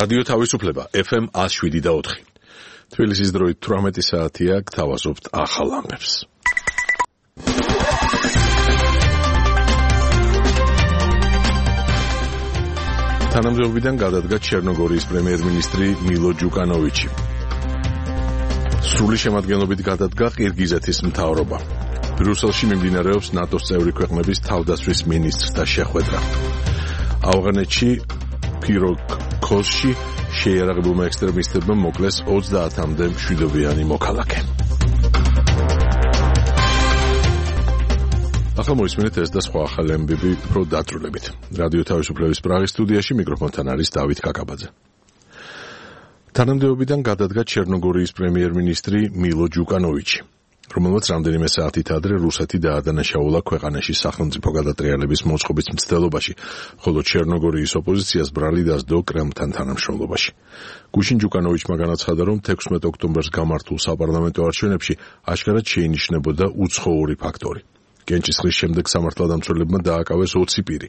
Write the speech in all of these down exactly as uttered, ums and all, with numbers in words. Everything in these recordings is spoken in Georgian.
რადიო თავისუფლება ეფ ემ ათს შვიდი და ოთხი. თბილისის დროით თვრამეტი საათია, გთავაზობთ ახალ ამბებს. თანამდებობიდან გადადგა ჩერნოგორიის პრემიერ-მინისტრი მილო ჯუკანოვიჩი. სრული შემადგენლობით გადადგა ყირგიზეთის მთავრობა. ბრიუსელში მიმდინარეობს ნატოს წევრი ქვეყნების თავდაცვის მინისტრთა შეხვედრა. ავღანეთში ფიროქოსში შეიარაღებულმა ექსტრემისტებმა მოკლეს ოცდაათამდე მშვიდობიანი მოქალაქე. ახლა მოისმინეთ ეს და სხვა ახალი ამბები უფრო დაწვრილებით. რადიო თავისუფლების პრაღის სტუდიაში მიკროფონთან არის დავით კაკაბაძე. თანამდებობიდან გადადგა ჩერნოგორიის პრემიერ-მინისტრი მილო ჯუკანოვიჩი, რომელმაც რამდენიმე საათით ადრე რუსეთი დაადანაშაულა ქვეყანაში სახელმწიფო გადატრიალების მოწყობის მცდელობაში, ხოლო ჩერნოგორიის ოპოზიციას ბრალი დასდო კრემლთან თანამშრომლობაში. გუშინ ჯუკანოვიჩმა განაცხადა, რომ თექვსმეტ ოქტომბერს გამართულ საპარლამენტო არჩევნებში აშკარად შეინიშნებოდა უცხოური ფაქტორი. კენჭისყრის შემდეგ სამართალდამცველებმა დააკავეს ოცი პირი,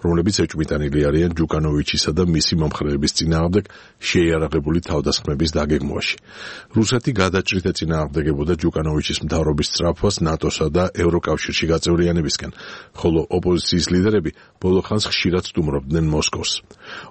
რომლებიც ეჭვმიტანილი არიან ჯუკანოვიჩისა და მისი მომხრეების წინააღმდეგ შეიარაღებული თავდასხმების დაგეგმვაში. რუსეთი გადაჭრით ეწინააღმდეგებოდა ჯუკანოვიჩის მთავრობის სწრაფვას ნატოსა და ევროკავშირში გაწევრიანებისკენ, ხოლო ოპოზიციის ლიდერები ბოლო ხანს ხშირად სტუმრობდნენ მოსკოვს.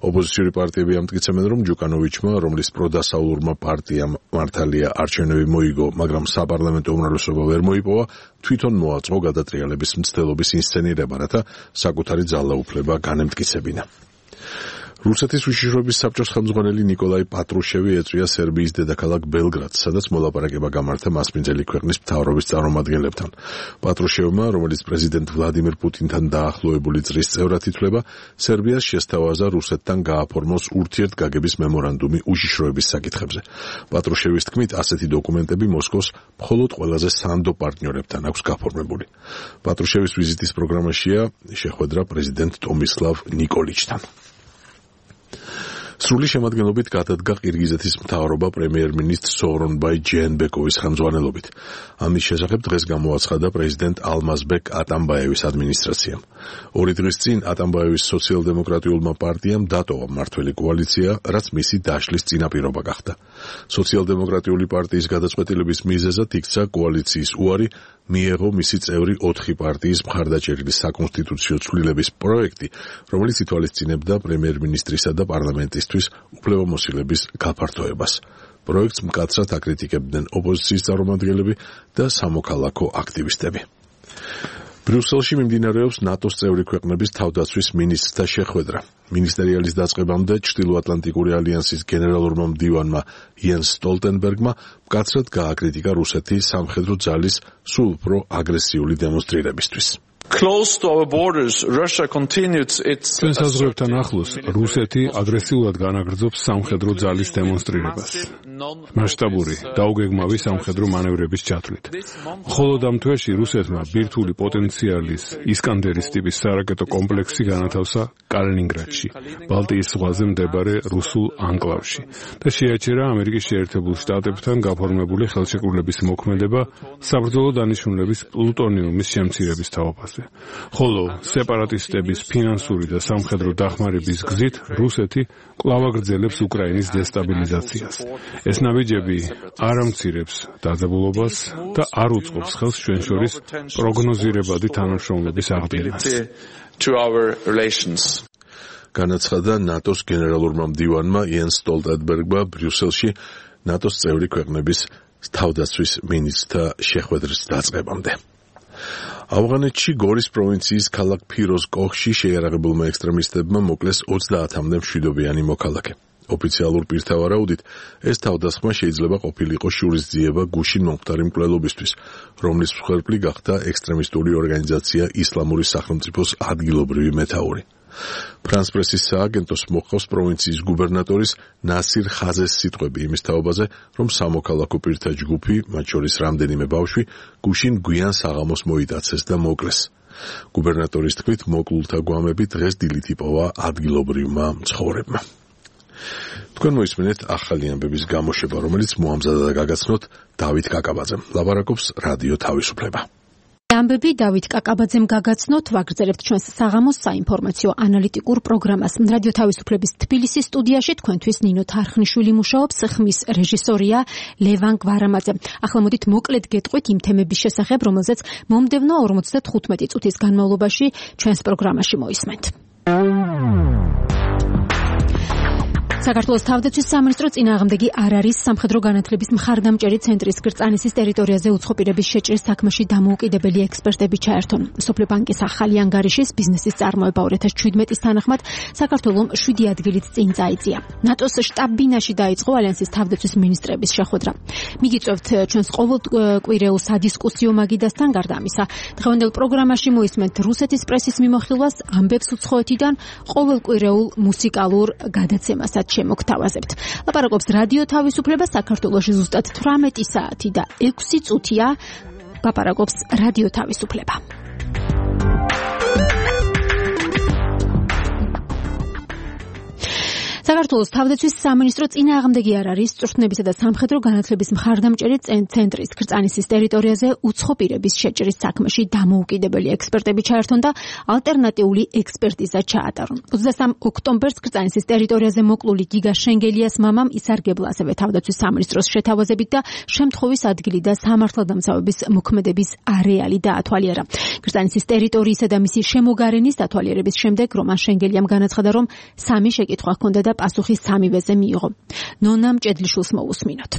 ოპოზიციური პარტიები ამტკიცებენ, რომ ჯუკანოვიჩმა, რომლის პროდასავლურმა პარტიამ მართალია არჩევნები მოიგო, მაგრამ საპარლამენტო უმრავლესობა ვერ მოიპოვა, თვითონ მოაწყო გადატრიალების მცდელობის ინსცენირება, რათა საკუთარი ძალაუფლება განემტკიცებინა. რუსეთის უშიშროების საბჭოს ხელმძღვანელი ნიკოლაი პატრუშევი ეწვია სერბიის დედაქალაქ ბელგრადს, სადაც მოლაპარაკება გამართა მასპინძელი ქვეყნის მთავრობის წარმომადგენლებთან. პატრუშევმა, რომელიც პრეზიდენტ ვლადიმირ პუტინთან დაახლოებული წრის წევრად ითვლება, სერბიას შესთავაზა რუსეთთან გააფორმოს ურთიერთგაგების მემორანდუმი უშიშროების საკითხებზე. პატრუშევის თქმით, ასეთი დოკუმენტები მოსკოვს მხოლოდ ყველაზე სანდო პარტნიორებთან აქვს გაფორმებული. პატრუშევის ვიზიტის პროგრამაშია შეხვედრა პრეზიდენტ ტომისლავ ნიკოლიჩთან. სრული შემადგენლობით გადადგა ყირგიზეთის მთავრობა პრემიერ-მინისტრ სოღრონბაი ჯეენბეკოვის ხელმძღვანელობით. ამის შესახებ დღეს გამოაცხადა პრეზიდენტ ალმაზბეკ ატამბაევის ადმინისტრაციამ. ორი დღის წინ ატამბაევის სოციალ-დემოკრატიულმა პარტიამ დატოვა მმართველი კოალიცია, რაც მისი დაშლის წინაპირობა გახდა. სოციალ-დემოკრატიული პარტიის გადაწყვეტილების მიზეზად იქცა კოალიციის უარი, მიეღო მისი წევრი ოთხი პარტიის მხარდაჭერილი საკონსტიტუციო ცვლილების პროექტი, რომელიც ითვალისწინებდა პრემიერ-მინისტრისა და პარლამენტისთვის უფლებამოსილების გაფართოებას. პროექტს მკაცრად აკრიტიკებდნენ ოპოზიციის წარმომადგენლები და სამოქალაქო აქტივისტები. ბრიუსელში მიმდინარეობს ნატოს წევრი ქვეყნების თავდაცვის მინისტრთა შეხვედრა. მინისტერიალის დაწყებამდე ჩრდილოატლანტიკური ალიანსის გენერალურმა მდივანმა იენს სტოლტენბერგმა მკაცრად გააკრიტიკა რუსეთი სამხედრო ძალის სულ უფრო აგრესიული დემონსტრირებისთვის. Close to our borders, Russia continued its ჩვენ საზღვრებთან ახლოს რუსეთი აგრესიულად განაგრძობს სამხედრო ძალის დემონსტრირებას. მასშტაბური დაუგეგმავი სამხედრო მანევრების ჩათვლით. მხოლოდ ამ თვეში რუსეთმა ბირთვული პოტენციალის ისკანდერის ტიპის სარაკეტო კომპლექსი განათავსა კალინინგრადში, ბალტიის ზღვაზე მდებარე რუსულ ანკლავში და შეაჩერა ამერიკის შეერთებულ შტატებთან გაფორმებული ხელშეკრულების მოქმედება საბრძოლო დანიშნულების პლუტონიუმის შემცირების თაობაზე. ხოლო სეპარატისტების ფინანსური და სამხედრო დახმარების გზით რუსეთი კვლავ აგრძელებს უკრაინის დესტაბილიზაციას. ეს ნაბიჯები არ ამცირებს დაძაბულობას და არ უწყობს ხელს ჩვენ შორის პროგნოზირებადი თანამშრომლობის აღდგენას. განაცხადა ნატოს გენერალურმა მდივანმა იენს სტოლტენბერგმა ბრიუსელში ნატოს წევრი ქვეყნების თავდაცვის მინისტრთა შეხვედრის დაწყებამდე. ავღანეთში გორის პროვინციის ქალაქ ფიროზკოხში შეიარაღებულმა ექსტრემისტებმა მოკლეს ოცდაათამდე მშვიდობიანი მოქალაქე. ოფიციალურ პირთა ვარაუდით, ეს თავდასხმა შეიძლება ყოფილიყო შურისძიება გუშინ მომხდარი მკვლელობისთვის, რომლის მსხვერპლი გახდა ექსტრემისტული ორგანიზაცია ისლამური სახელმწიფოს ადგილობრივი მეთაური. ფრანს პრესის სააგენტოს მოჰყავს პროვინციის გუბერნატორის ნასირ ხაზეს სიტყვები იმის თაობაზე, რომ სამოქალაქო პირთა ჯგუფი, მათ შორის რამდენიმე ბავშვი, გუშინ გვიან საღამოს მოიტაცეს და მოკლეს. გუბერნატორის თქმით, მოკლულთა გვამები დღეს დილით იპოვა ადგილობრივმა მცხოვრებმა. თქვენ მოისმინეთ ახალი ამბების გამოშვება, რომელიც მოამზადა და გაგაცნოთ დავით კაკაბაძემ. ლაპარაკობს რადიო თავისუფლება. ამბები დავით კაკაბაძემ გაგაცნოთ, ვაგრძელებთ ჩვენს საღამოს საინფორმაციო ანალიტიკურ პროგრამას. რადიო თავისუფლების თბილისის სტუდიაში თქვენთვის ნინო თარხნიშვილი მუშაობს, ხმის რეჟისორია ლევან გვარამაძე. ახლა მოდით მოკლედ გეტყვით იმ თემების შესახებ, რომელზეც მომდევნო ორმოცდათხუთმეტი წუთის განმავლობაში ჩვენს პროგრამაში მოისმენთ. საქართველოს თავდაცვის სამინისტრო წინააღმდეგი არ არის სამხედრო განათლების მხარდამჭერი ცენტრის კრწანისის ტერიტორიაზე უცხოპირების შეჭრის საქმეში დამოუკიდებელი ექსპერტები ჩაერთონ. მსოფლიო ბანკის ახალი ანგარიშის ბიზნესის წარმოება ორი ათას შვიდმეტის თანახმად საქართველოს შვიდი ადგილით წინ წაიწია. ნატოს შტაბ-ბინაში დაიწყო ალიანსის თავდაცვის მინისტრების შეხვედრა. მიგიწევთ ჩვენს ყოველკვირეულ სადისკუსიო მაგიდასთან, გარდა ამისა, დღევანდელ პროგრამაში მოისმენთ რუსეთის პრესის მიმოხილვას, ამბებს უცხოეთიდან, ყოველკვირეულ მუსიკალურ გადაცემასაც შემოგთავაზებთ. ლაპარაკობს რადიო თავისუფლება, საქართველოში ზუსტად თვრამეტი საათი და ექვსი წუთია. ლაპარაკობს რადიო თავისუფლება. საქართველოს თავდაცვის სამინისტრო წინააღმდეგი არ არის წვრთნებისა და სამხედრო განათლების მხარდამჭერი ცენტრის კრწანისის ტერიტორიაზე უცხოპირების შეჭრის საქმეში დამოუკიდებელი ექსპერტები ჩაერთონ და ალტერნატიული ექსპერტიზა ჩაატარონ. ოცდასამ ოქტომბერს კრწანისის ტერიტორიაზე მოკლული გიგა შენგელიას მამამ ისარგებლა ასევე თავდაცვის სამინისტროს შეთავაზებით და შემთხვევის ადგილი და სამართალდამცავების მოქმედების არეალი დაათვალიერა. კრწანისის ტერიტორიისა და მისი შემოგარენის დათვალიერების შემდეგ რომან შენგელიამ განაცხადა, რომ სამი შეკითხვა ჰქონდა და პასუხი სამივეზე მიიღო. ნონა მჭედლიშვილს მოусმინოთ.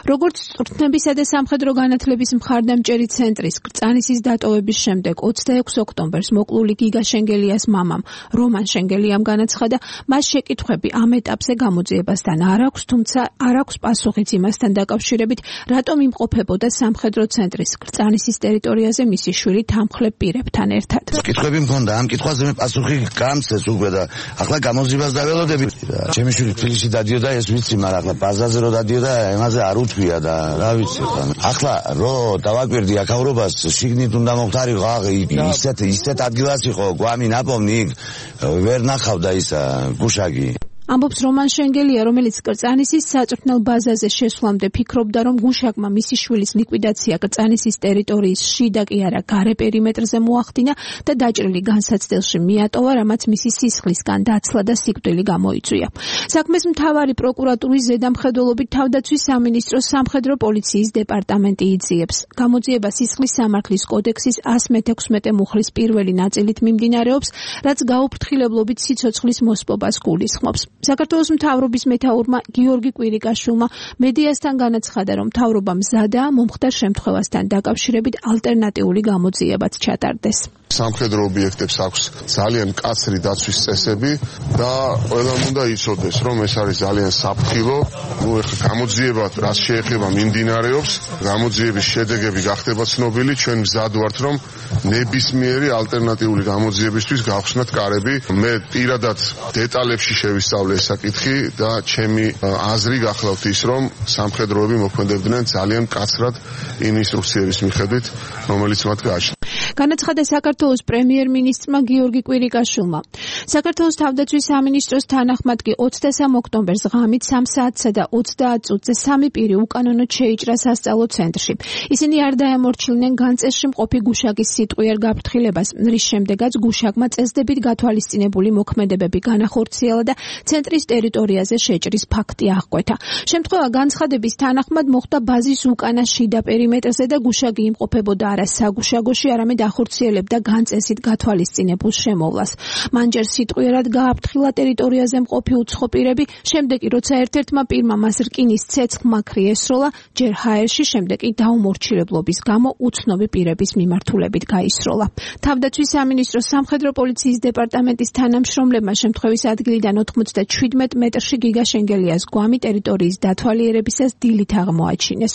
როგორც წვრთნებისა და სამხედრო განათლების მხარდამჭერი ცენტრის კრწანისის დატოვების შემდეგ ოცდაექვსი ოქტომბერს მოკლული გიგა შენგელიას მამამ რომან შენგელიამ განაცხადა, მას შეკითხვები ამ ეტაპზე გამოძიებასთან არ აქვს, თუმცა არ აქვს პასუხიც იმასთან დაკავშირებით, რატომ იმყოფებოდა სამხედრო ცენტრის კრწანისის ტერიტორიაზე მისი შვილი თანმხლებ პირებთან ერთად. კითხვები მქონდა, ამ კითხვაზე მე პასუხი გამცეს უკვე და ახლა გამოძიებას დაველოდები. ჩემი შვილი თბილისში დადიოდა, ეს ვიცი, მაგრამ ახლა ბაზაზე რო დადიოდა, ემაზე არ უთვია და რა ვიცი ხან. ახლა რო დავაკვირდი აქაურობას, შიგნით უნდა მოხდარიყო, ისეთ ისეთ ადგილას იყო, გვამი ნაპოვნი, ვერ ნახავდა ისა გუშაგი. ამბობს რომან შენგელია, რომელიც კრწანისის საწვრთნელ ბაზაზე შესვლამდე ფიქრობდა, რომ გუშაგმა მისი შვილის ლიკვიდაცია კრწანისის ტერიტორიის შიდა კი არა გარე პერიმეტრზე მოახდინა და დაჭრილი განსაცდელში მიატოვა, რამაც მისი სისხლისგან დაცლა და სიკვდილი გამოიწვია. საქმეს მთავარი პროკურატურის ზედამხედველობით თავდაცვის სამინისტროს სამხედრო პოლიციის დეპარტამენტი იძიებს. გამოძიება სისხლის სამართლის კოდექსის ასი მეთექვსმეტე მუხლის პირველი ნაწილით მიმდინარეობს, რაც გაუფრთხილებლობით სიცოცხლის მოსპობას გულისხმობს. საქართველოს მთავრობის მეთაურმა გიორგი კვირიკაშვილმა მედიასთან განაცხადა, რომ მთავრობა მზადაა მომხდარ შემთხვევასთან დაკავშირებით ალტერნატიული გამოძიებაც ჩატარდეს. სამხედრო ობიექტებს აქვს ძალიან მკაცრი დაცვის წესები და ყველამ უნდა იცოდეს, რომ ეს არის ძალიან საფრთხილო. ნუ ეხლა გამოძიება რაც შეეხება მიმდინარეობს, გამოძიების შედეგები გახდება ცნობილი, ჩვენ მზად ვართ, რომ ნებისმიერი ალტერნატიული გამოძიებისთვის გავხსნათ კარები. მე პირადად დეტალებში შევისწავლე ეს საკითხი და ჩემი აზრი გახლავთ ის, რომ სამხედროები მოქმედებდნენ ძალიან მკაცრად იმ ინსტრუქციების მიხედვით, რომელიც მათ გააჩნდა. განაცხადა საქართველოს პრემიერ-მინისტრმა გიორგი კვირიკაშვილმა. საქართველოს თავდაცვის სამინისტროს თანახმად კი ოცდასამ ოქტომბერს ღამით სამ საათსა და ოცდაათ წუთზე სამი პირი უკანონოდ შეიჭრა სასწავლო ცენტრში. ისინი არ დაემორჩილნენ განწესში მყოფი გუშაგის სიტყვიერ გაფრთხილებას, რის შემდეგაც გუშაგმა წესდებით გათვალისწინებული მოქმედებები განახორციელა და ცენტრის ტერიტორიაზე შეჭრის ფაქტი აღკვეთა. შემთხვევა განცხადების თანახმად მოხდა ბაზის უკანა შიდა პერიმეტრზე და გუშაგი იმყოფებოდა არა საგუშაგოში, არამედ ახორციელებდა განწესით გათვალისწინებულ შემოვლას. მან ჯერ სიტყვიერად გააფრთხილა ტერიტორიაზე მყოფი უცხოპირები, შემდეგ კი როცა ერთ-ერთმა პირმა მას რკინის ცეცხლმაქრი ესროლა, ჯერ ჰაერში, შემდეგ კი დაუმორჩილებლობის გამო უცნობი პირების მიმართულებით გაისროლა. თავდაცვის სამინისტროს სამხედრო პოლიციის დეპარტამენტის თანამშრომლებმა შემთხვევის ადგილიდან ოცდაშვიდ მეტრში გიგა შენგელიას გვამი ტერიტორიის დათვალიერებისას დილით აღმოაჩინეს.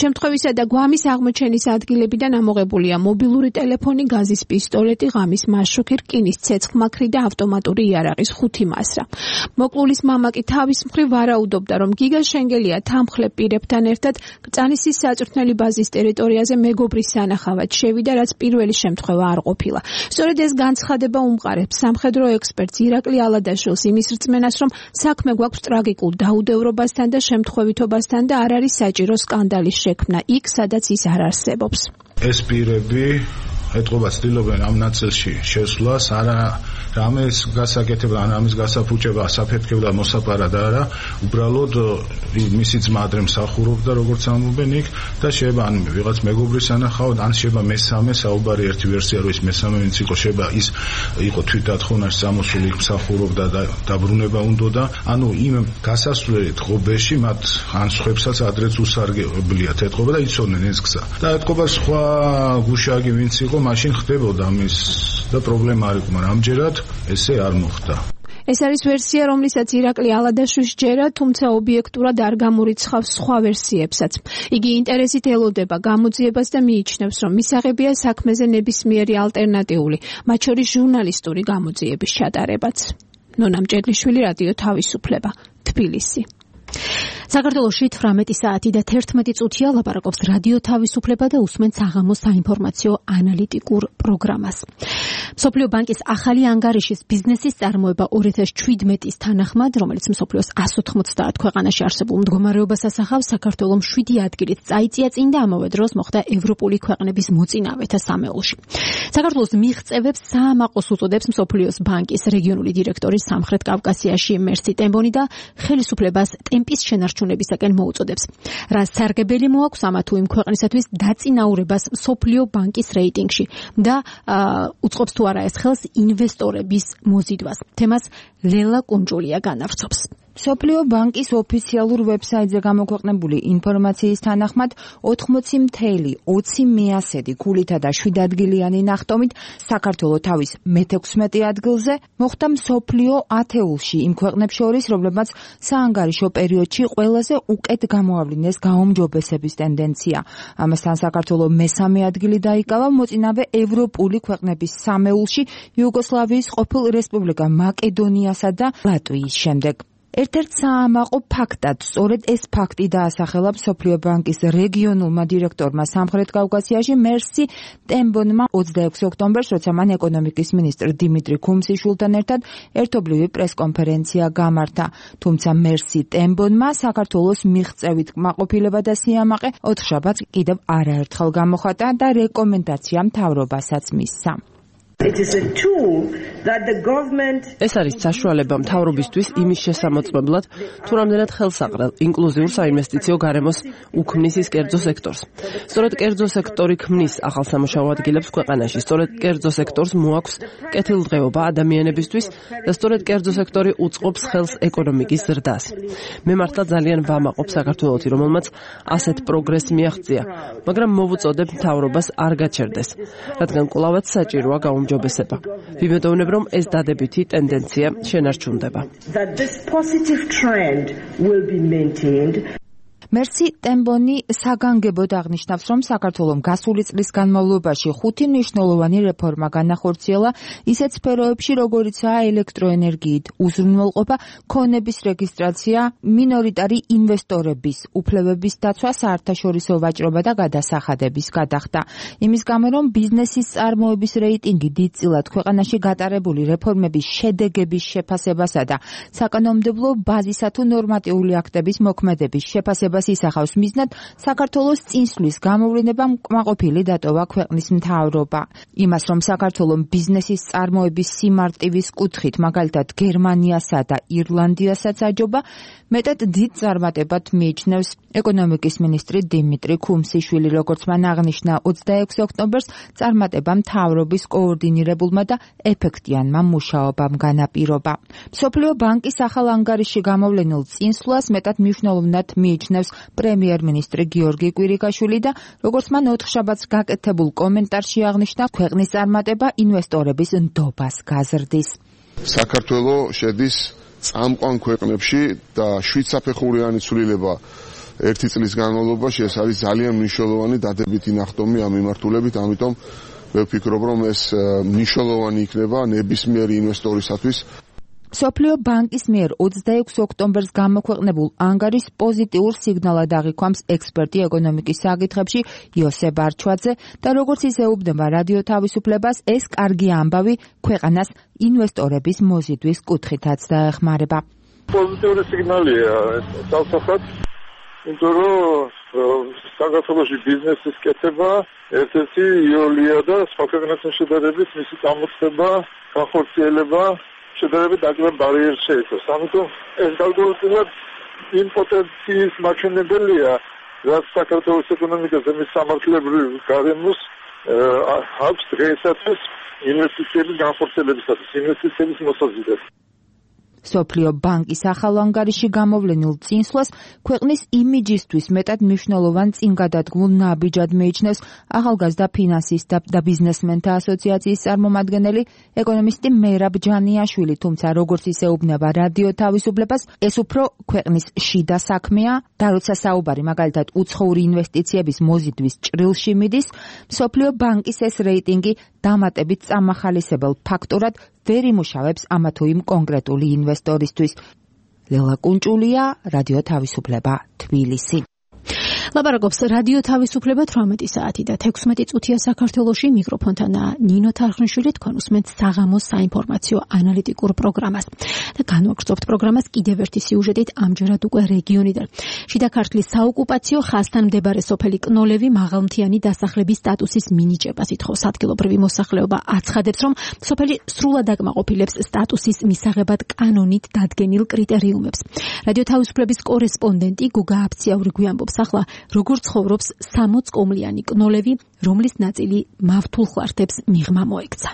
შემთხვევისა და გვამის აღმოჩენის ადგილებიდან ამოღებულია მობილური ტელეფონი, გაზის პისტოლეტი, ღამის მაშუქი, რკინის ცეცხლმაქრი და ავტომატური იარაღის ხუთი მასრა. მოკლულის მამა კი თავის მხრივ ვარაუდობდა, რომ გიგა შენგელია თანმხლებ პირებთან ერთად კრწანისის საწვრთნელი ბაზის ტერიტორიაზე მეგობრის სანახავად შევიდა, რაც პირველი შემთხვევა არ ყოფილა. სწორედ ეს განცხადება უმყარებს სამხედრო ექსპერტს ირაკლი ალადაშვილს იმის რწმენას, რომ საქმე გვაქვს ტრაგიკულ დაუდევრობასთან და შემთხვევითობასთან და არ არის საჭირო სკანდალის შექმნა იქ, სადაც ის არ არსებობს. ეს პირები ეთყობა ცდილობენ ამ ნაწილში შესვლას, არა რამეს გასაკეთებდა, ან ამის გასაფუჭება, საფეთქებდა მოსაპარად არა, უბრალოდ მისი ძმა ადრე მსახურობდა, როგორც ამბობენ იქ და შეიძლება ან ვიღაც მეგობრის სანახავად, ან შეიძლება მესამე, საუბარი ერთი ვერსია რომ ის მესამე ვინც იყო, შეიძლება ის იყო თვითდათხოვნაში წამოსული, იქ მსახურობდა და დაბრუნება უნდოდა, ანუ იმ გასასვლელი ღობეში მათ ან სხვებსაც ადრეც უსარგებლია ეთყობა და იცოდნენ ეს გზა. და ეთყობა სხვა გუშაგი ვინც იყო მაშინ ხდებოდა ამის და პრობლემა არ იყო, მაგრამ ამჯერად ესე არ მოხდა. ეს არის ვერსია, რომლისაც ირაკლი ალადაშვილს ჯერა, თუმცა ობიექტურად არ გამორიცხავს სხვა ვერსიებსაც. იგი ინტერესით ელოდება გამოძიებას და მიიჩნევს, რომ მისაღებია საქმეზე ნებისმიერი ალტერნატიული, მათ შორის ჟურნალისტური გამოძიების ჩატარებაც. ნონა მჭედლიშვილი, რადიო თავისუფლება, თბილისი. საქართველოში თვრამეტი საათი და თერთმეტი წუთია ლაპარაკობს რადიო თავისუფლება და უსმენთ საღამოს საინფორმაციო ანალიტიკურ პროგრამას. მსოფლიო ბანკის ახალი ანგარიშის ბიზნესის წარმოება ორი ათას შვიდმეტის თანახმად, რომელიც მსოფლიოს εκατს ოთხმოცდაათ ქვეყანაში არსებულ მდგომარეობას ასახავს, საქართველოს შვიდი ადგილით წაიწია წინ და ამავე დროს მოხდა ევროპული ქვეყნების მოწინავეთა სამეულში. საქართველოს მიღწევებს საამაყოს უწოდებს მსოფლიოს ბანკის რეგიონული დირექტორი სამხრეთ კავკასიაში მერსი ტემბონი და ხელისუფლებას ტემპის შენარჩუნებისაკენ მოუწოდებს. რა სარგებელი მოაქვს ამა თუ იმ ქვეყნისათვის დაწინაურებას მსოფლიო ბანკის რეიტინგში და უწყობს თუ არა ეს ხელს ინვესტორების მოზიდვას. თემას ლელა კუნჯულია განავრცობს. მსოფლიო ბანკის ოფიციალურ ვებსაიტზე გამოქვეყნებული ინფორმაციის თანახმად ოთხმოცი ათეული ოცი მეასედი ქულითა და შვიდადგილიანი ნახტომით საქართველოს თავის მეთექვსმეტე ადგილზე მოხვდა მსოფლიო ათეულში იმ ქვეყნებს შორის, რომლებმაც საანგარიშო პერიოდში ყველაზე უკეთ გამოავლინეს გაუმჯობესების ტენდენცია. ამასთან საქართველოს მესამე ადგილი დაიკავა მოწინავე ევროპული ქვეყნების სამეულში იუგოსლავიის ყოფილ რესპუბლიკა მაკედონიასა და ლატვიის შემდეგ. ერთ-ერთ საამაყო ფაქტად სწორედ ეს ფაქტი დაასახელა მსოფლიო ბანკის რეგიონულმა დირექტორმა სამხრეთ კავკასიაში მერსი ტემბონმა ოცდაექვსი ოქტომბერს, როცა მან ეკონომიკის მინისტრ დიმიტრი ქუმსიშვილთან ერთად ერთობლივი პრესკონფერენცია გამართა. თუმცა მერსი ტემბონმა საქართველოს მიღწევით კმაყოფილება და სიამაყე ოთხშაბათს კიდევ არაერთხელ გამოხატა და რეკომენდაცია მთავრობასაც მისცა. ეს არის საშუალება მთავრობისთვის იმის შესამოწმებლად, თუ რამდენად ხელსაყრელ ინკლუზიურ საინვესტიციო გარემოს უქმნის ის კერძო სექტორს. სწორედ კერძო სექტორი ქმნის ახალ სამუშაო ადგილებს ქვეყანაში, სწორედ კერძო სექტორს მოაქვს კეთილდღეობა ადამიანებისთვის და სწორედ კერძო სექტორი უწყობს ხელს ეკონომიკის ზრდას. მე მართლა ძალიან ვამაყობ საქართველოსი, რომელმაც ასეთ პროგრესს მიაღწია, მაგრამ მოვუწოდებ მთავრობას არ გაჩერდეს, რადგან კვლავაც საჭიროა გაუმჯობესება. ვიმედოვნებ, რომ ეს დადებითი ტენდენცია შენარჩუნდება. მერსი ტემბონი საგანგებოდ აღნიშნავს, რომ საქართველოს გასული წლის განმავლობაში ხუთი მნიშვნელოვანი რეფორმა განახორციელა ისეთ სფეროებში, როგორიცაა ელექტროენერგიით უზრუნველყოფა, ქონების რეგისტრაცია, მინორიტარი ინვესტორების უფლებების დაცვა, საერთაშორისო ვაჭრობა და გადასახადების გადახდა. იმის გამო, რომ ბიზნესის წარმოების რეიტინგი დიდწილად ქვეყანაში გატარებული რეფორმების შედეგების შეფასებასა და საკანონმდებლო ბაზისა თუ ნორმატიული აქტების მოქმედების შეფასებას ისახავს მიზნად საქართველოს წინსვლის გამოვლენა კმაყოფილი დატოვა ქვეყნის მთავრობა. იმას, რომ საქართველოს ბიზნესის წარმოების სიმარტივის კუთხით, მაგალითად გერმანიასა და ირლანდიასაც აჯობა, მეტად დიდ წარმატებად მიიჩნევს ეკონომიკის მინისტრი დიმიტრი ქუმსიშვილი, როგორც მან აღნიშნა ოცდაექვსი ოქტომბერს, წარმატება მთავრობის კოორდინირებულმა და ეფექტიანმა მუშაობამ განაპირობა. მსოფლიო ბანკის ახალ ანგარიშში გამოვლენილ წინსვლას მეტად მნიშვნელოვნად მიიჩნევს პრემიერ-მინისტრი გიორგი კვირიკაშვილი და როგორც მან ოთხშაბათს გაკეთებულ კომენტარში აღნიშნა, ქვეყნის წარმატება ინვესტორების ნდობას გაზრდის. საქართველოს შედის წამყვან ქვეყნებში და შვიდსაფეხურიანი ცვლილება ერთი წლის განმავლობაში ეს არის ძალიან მნიშვნელოვანი დადებითი ნახტომი ამ მიმართულებით, ამიტომ მე ვფიქრობ, რომ ეს მნიშვნელოვანი იქნება ნებისმიერი ინვესტორისათვის. სოფლიო ბანკის მიერ ოცდაექვსი ოქტომბერს გამოქვეყნებულ ანგარის პოზიტიურ სიგნალად აღიქვამს ექსპერტი ეკონომიკის საკითხებში იოსებ არჩვაძე და როგორც ის ეუბნება რადიო თავისუფლებას, ეს კარგი ამბავი ქვეყანას ინვესტორების მოზიდვის კუთხითაც დაეხმარება. პოზიტიური სიგნალია თავსახად, იმიტომ რომ საქართველოში ბიზნესის კეთება ერთ-ერთი იოლია და სხვა ქვეყნებთან შედარებით მისი წამოწყება, განხორციელება შედარებით აკლებ ბარიერს შეიცავს. ამიტომ ეს გარკვეულად იმ პოტენციის მაჩვენებელია, რაც საქართველოს ეკონომიკაზე მის სამართლებრივ გარემოს აქვს დღეისათვის ინვესტიციების განხორციელებისათვის, ინვესტიციების მოსაზიდად. სოფლიო ბანკის ახალ ანგარიში გამოვლენილ წინსვლას ქვეყნის იმიჯისთვის მეტად მნიშვნელოვან წინგადადგმულ ნაბიჯად მიიჩნევს ახალგაზრდა ფინანსისტთა და ბიზნესმენთა ასოციაციის წარმომადგენელი ეკონომისტი მერაბ ჯანიაშვილი, თუმცა როგორც ის ეუბნება რადიო თავისუფლებას, ეს უფრო ქვეყნის შიდა საქმეა და როცა საუბარი მაგალითად უცხოური ინვესტიციების მოზიდვის ჭრილში მიდის, სოფლიო ბანკის ეს რეიტინგი დამატებით წამახალისებელ ფაქტორად ვერ იმუშავებს ამა თუ იმ კონკრეტული ინვესტორისთვის. ლელა კუნჭულია, რადიო თავისუფლება, თბილისი. ლაპარაკობს რადიო თავისუფლება თვრამეტი საათი და თექვსმეტი წუთია საქართველოში. მიკროფონთან ნინო თარხნიშვილი, თქვენ უსმენთ საღამოს საინფორმაციო ანალიტიკურ პროგრამას. და განვაგრძობთ პროგრამას კიდევ ერთი სიუჟეტით, ამჯერად უკვე რეგიონიდან. შიდა ქართლის საოკუპაციო ხაზთან მდებარე სოფელი კნოლევი მაღალმთიანი დასახლების სტატუსის მინიჭებას ითხოვს. ადგილობრივი მოსახლეობა აცხადებს, რომ სოფელი სრულად აკმაყოფილებს სტატუსის მისაღებად კანონით დადგენილ კრიტერიუმებს. რადიო თავისუფლების კორესპონდენტი გუგა აფციაური გვიამბობს ახლა როგორ ცხოვრობს სამოც კომლიანი კნოლევი, რომლის ნაწილი მავთულ ხლართებს მიღმა მოექცა.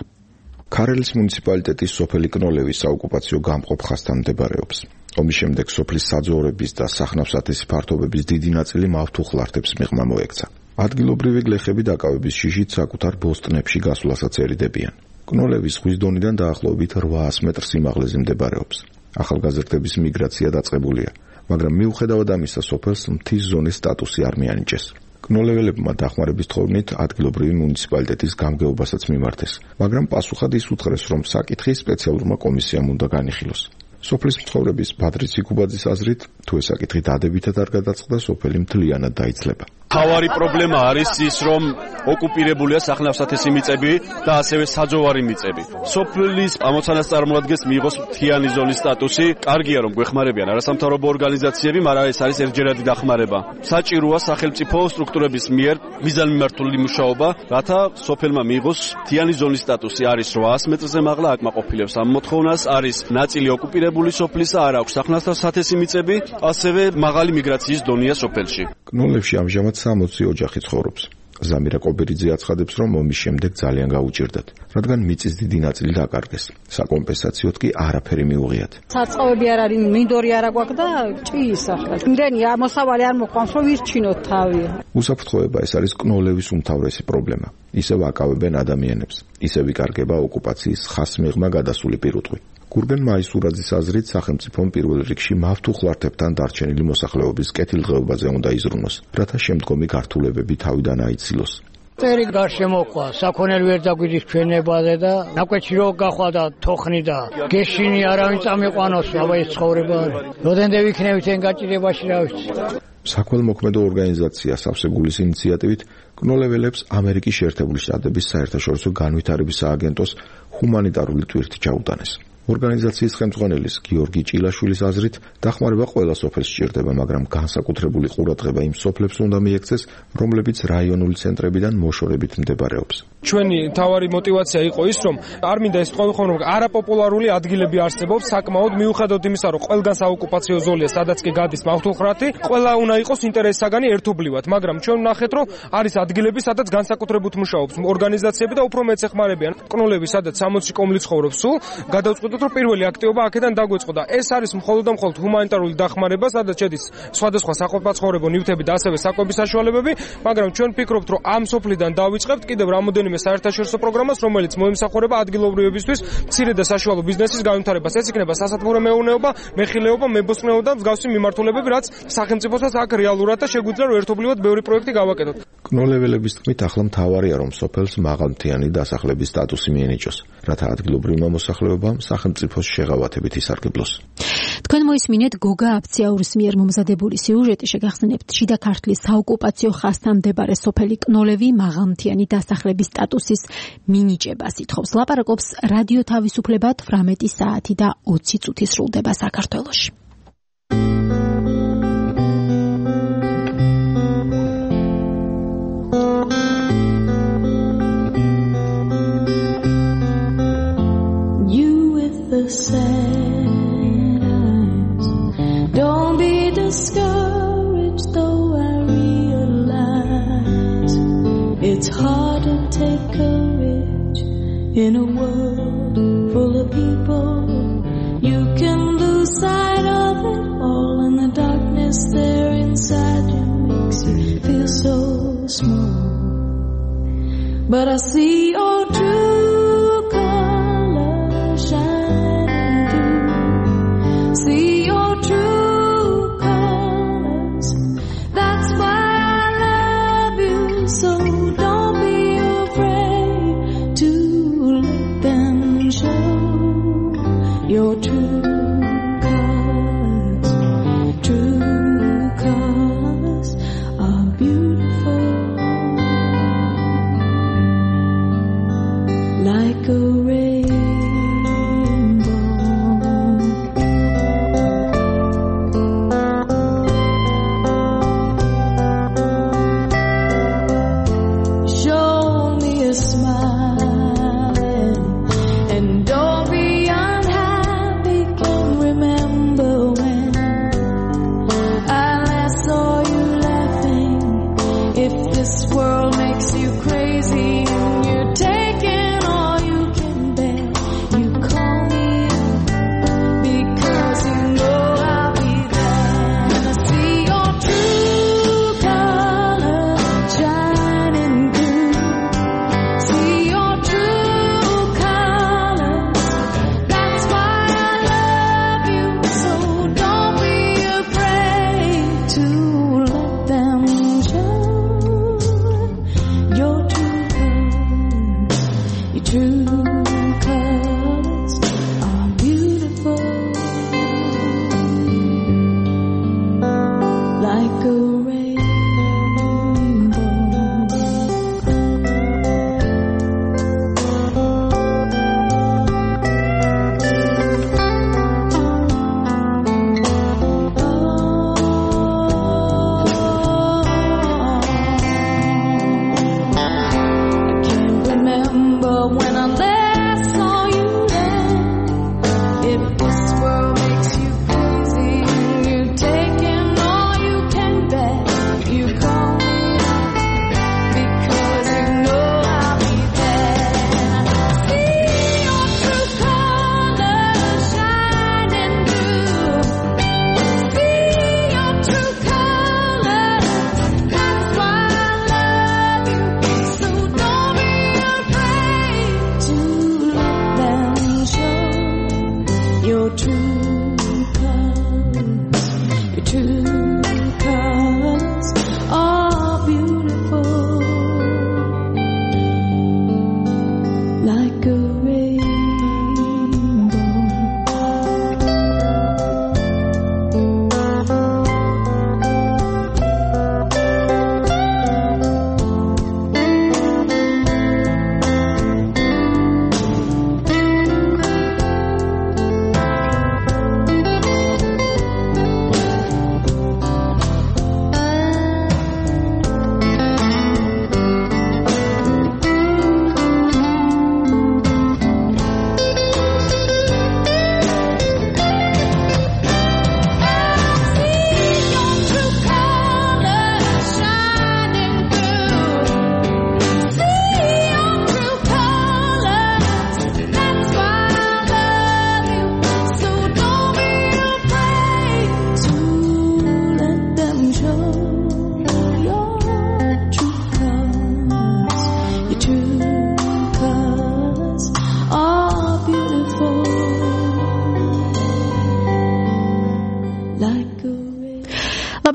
ქარელის მუნიციპალიტეტის სოფელი კნოლევი საოკუპაციო გამყოფ ხაზთან მდებარეობს. ომის შემდეგ სოფლის საძოვრების და სახნავ-სათესი ფართობების დიდი ნაწილი მავთულ ხლართებს მიღმა მოექცა. ადგილობრივი გლეხები დაკავების შიშით საკუთარ ბოსტნებში გასვლასაც ერიდებიან. კნოლევის ზღვის დონიდან დაახლოებით რვაას მეტრ სიმაღლეზე მდებარეობს. ახალგაზრდების მიგრაცია დაწყებულია. მაგრამ მიუხედავად ამისა, სოფელს მთის ზონის სტატუსი არ მიანიჭეს. კნოლეველებმა დახმარების თხოვნით ადგილობრივი მუნიციპალიტეტის გამგეობასაც მიმართეს, მაგრამ პასუხად ის უთხრეს, რომ საკითხი სპეციალურმა კომისიამ უნდა განიხილოს. სოფლის მცხოვრების ბადრი ციკუბაძის აზრით, თუ ეს საკითხი დადებითად არ გადაწყდა, სოფელი მთლიანად დაიცლება. თავარი პრობლემა არის ის, რომ ოკუპირებულია სახნავ-სათესი მიწები და ასევე საძოვარი მიწები. სოფლის ამოცანას წარმოადგენს მიიღოს მთიანი ზონის სტატუსი. კარგია, რომ გვეხმარებიან არასამთავრობო ორგანიზაციები, მაგრამ ეს არის ერთჯერადი დახმარება. საჭიროა სახელმწიფო სტრუქტურების მიერ მიზანმიმართული მუშაობა, რათა სოფელმა მიიღოს მთიანი ზონის სტატუსი. არის რვაას მეტრზე მაღლა, აკმაყოფილებს ამ მოთხოვნას, არის ნაწილი ოკუპირებული სოფლისა, არ აქვს სახნავ-სათესი მიწები, ასევე მაღალი მიგრაციის დონეა სოფელში. კნოლევში ამჟამად სამოცი ოჯახი ცხოვრობს. ზამირა კობერიძე აცხადებს, რომ ომის შემდეგ ძალიან გაუჭირდათ, რადგან მიწის დიდი ნაწილი დაკარგეს. საკომპენსაციოდ კი არაფერი მიუღიათ. საწყობები არ არის, მინდორი არ აქვს და ჭიის ახლა. იმდენი მოსავალი არ მოყვანს, რომ ვირჩინოთ თავი. უსაფრთხოება ეს არის კნოლევის უმთავრესი პრობლემა. ისევ აკავებენ ადამიანებს, ისევ იკარგება ოკუპაციის ხასმიღმა გადასული პირუტყვი. გურგენ მაისურაძის აზრით, სახელმწიფომ პირველ რიგში მავთულ ხლართებთან დარჩენილი მოსახლეობის კეთილდღეობაზე უნდა იზრუნოს, რათა შემდგომი გართულებები თავიდან აიცილოს. წერი გარშემოყვა, საქონელი ვერ დაგვიდის ჩვენებაზე და ნაკვეთში რო გახვა და თოხნი და გეშინი არავინ წამიყვანოს, აბა ეს ცხოვრება არის. როდენდე ვიქნებით εν გაჭირებაში რა ვიცი. საქველმოქმედო ორგანიზაცია სავსებულის ინიციატივით კნოლეველებს ამერიკის შეერთებული შტატების საერთაშორისო განვითარების სააგენტოს ჰუმანიტარული ტვირთი ჩაუტანეს. ორგანიზაციის ხელმძღვანელის გიორგი ჭილაშვილის აზრით, დახმარება ყველა სოფელს სჭირდება, მაგრამ განსაკუთრებული ყურადღება იმ სოფლებს უნდა მიექცეს, რომლებიც რაიონული ცენტრებიდან მოშორებით მდებარეობს. ჩვენი თავარი мотиваცია იყო ის, რომ არ მინდა ეს თქვენ რომ არაპოპულარული ადგილები არსებობს, საკმაოდ მიუხედავად იმისა, რომ ყველგან საოკუპაციო ზოლია, სადაც კი გადის მავთულხრათი, ყველა უნდა იყოს ინტერესსაგანი ერთობლივად, მაგრამ ჩვენ ვნახეთ, რომ არის ადგილები, სადაც განსაკუთრებით მუშაობს ორგანიზაციები და უფრო მეც ეხმარებიან. კნოლევი, სადაც სამოცი კომლი ცხოვრობს, სულ გადავწყვიტ ვფიქრობთ, რომ პირველი აქტივობა აქედან დაგვეწყო და ეს არის მხოლოდ და მხოლოდ ჰუმანიტარული დახმარება, სადაც შედის სხვადასხვა საყოფაცხოვრებო ნივთები და ასევე საკვების საშუალებები, მაგრამ ჩვენ ვფიქრობთ, რომ ამ სოფლიდან დავიწყებთ კიდევ რამოდენიმე საერთაშორისო პროგრამას, რომელიც მოემსახურება ადგილობრივებისთვის მცირე და საშუალო ბიზნესის განვითარებას. ეს იქნება სასათბურო მეურნეობა, მეხილეობა, მებოსტნეობა და მსგავსი მიმართულებები, რაც სახელმწიფოსაც აქ რეალურად და შეგვიძლია რომ ერთობლივად ბევრი პროექტი გავაკეთოთ. კნოლეველების თქმით, ახლა მთავარია რომ სოფელს მაღალმთიანი დასახლების სტატუსი მიენიჭოს, რათა ადგილობრივმა მოსახლეობამ სახელმწიფოს შეღავათებით ისარგებლოს. თქვენ მოისმინეთ გოგა აფციაურის მიერ მომზადებული სიუჟეტი, შეგახსენებთ შიდა ქართლის საოკუპაციო ხაზთან მდებარე სოფელი კნოლევი მაღალმთიანი დასახლების სტატუსის მინიჭებას ითხოვს. ლაპარაკობს რადიო თავისუფლება თვრამეტი საათი და ოცი წუთი სრულდება საქართველოში. The sad eyes. Don't be discouraged, though I realize it's hard to take courage in a world full of people. You can lose sight of it all, and the darkness there inside you makes you feel so small. But I see all true colors shine. See your true colors. That's why I love you. So don't be afraid to let them show your true colors. True colors are beautiful, like a rainbow. When I left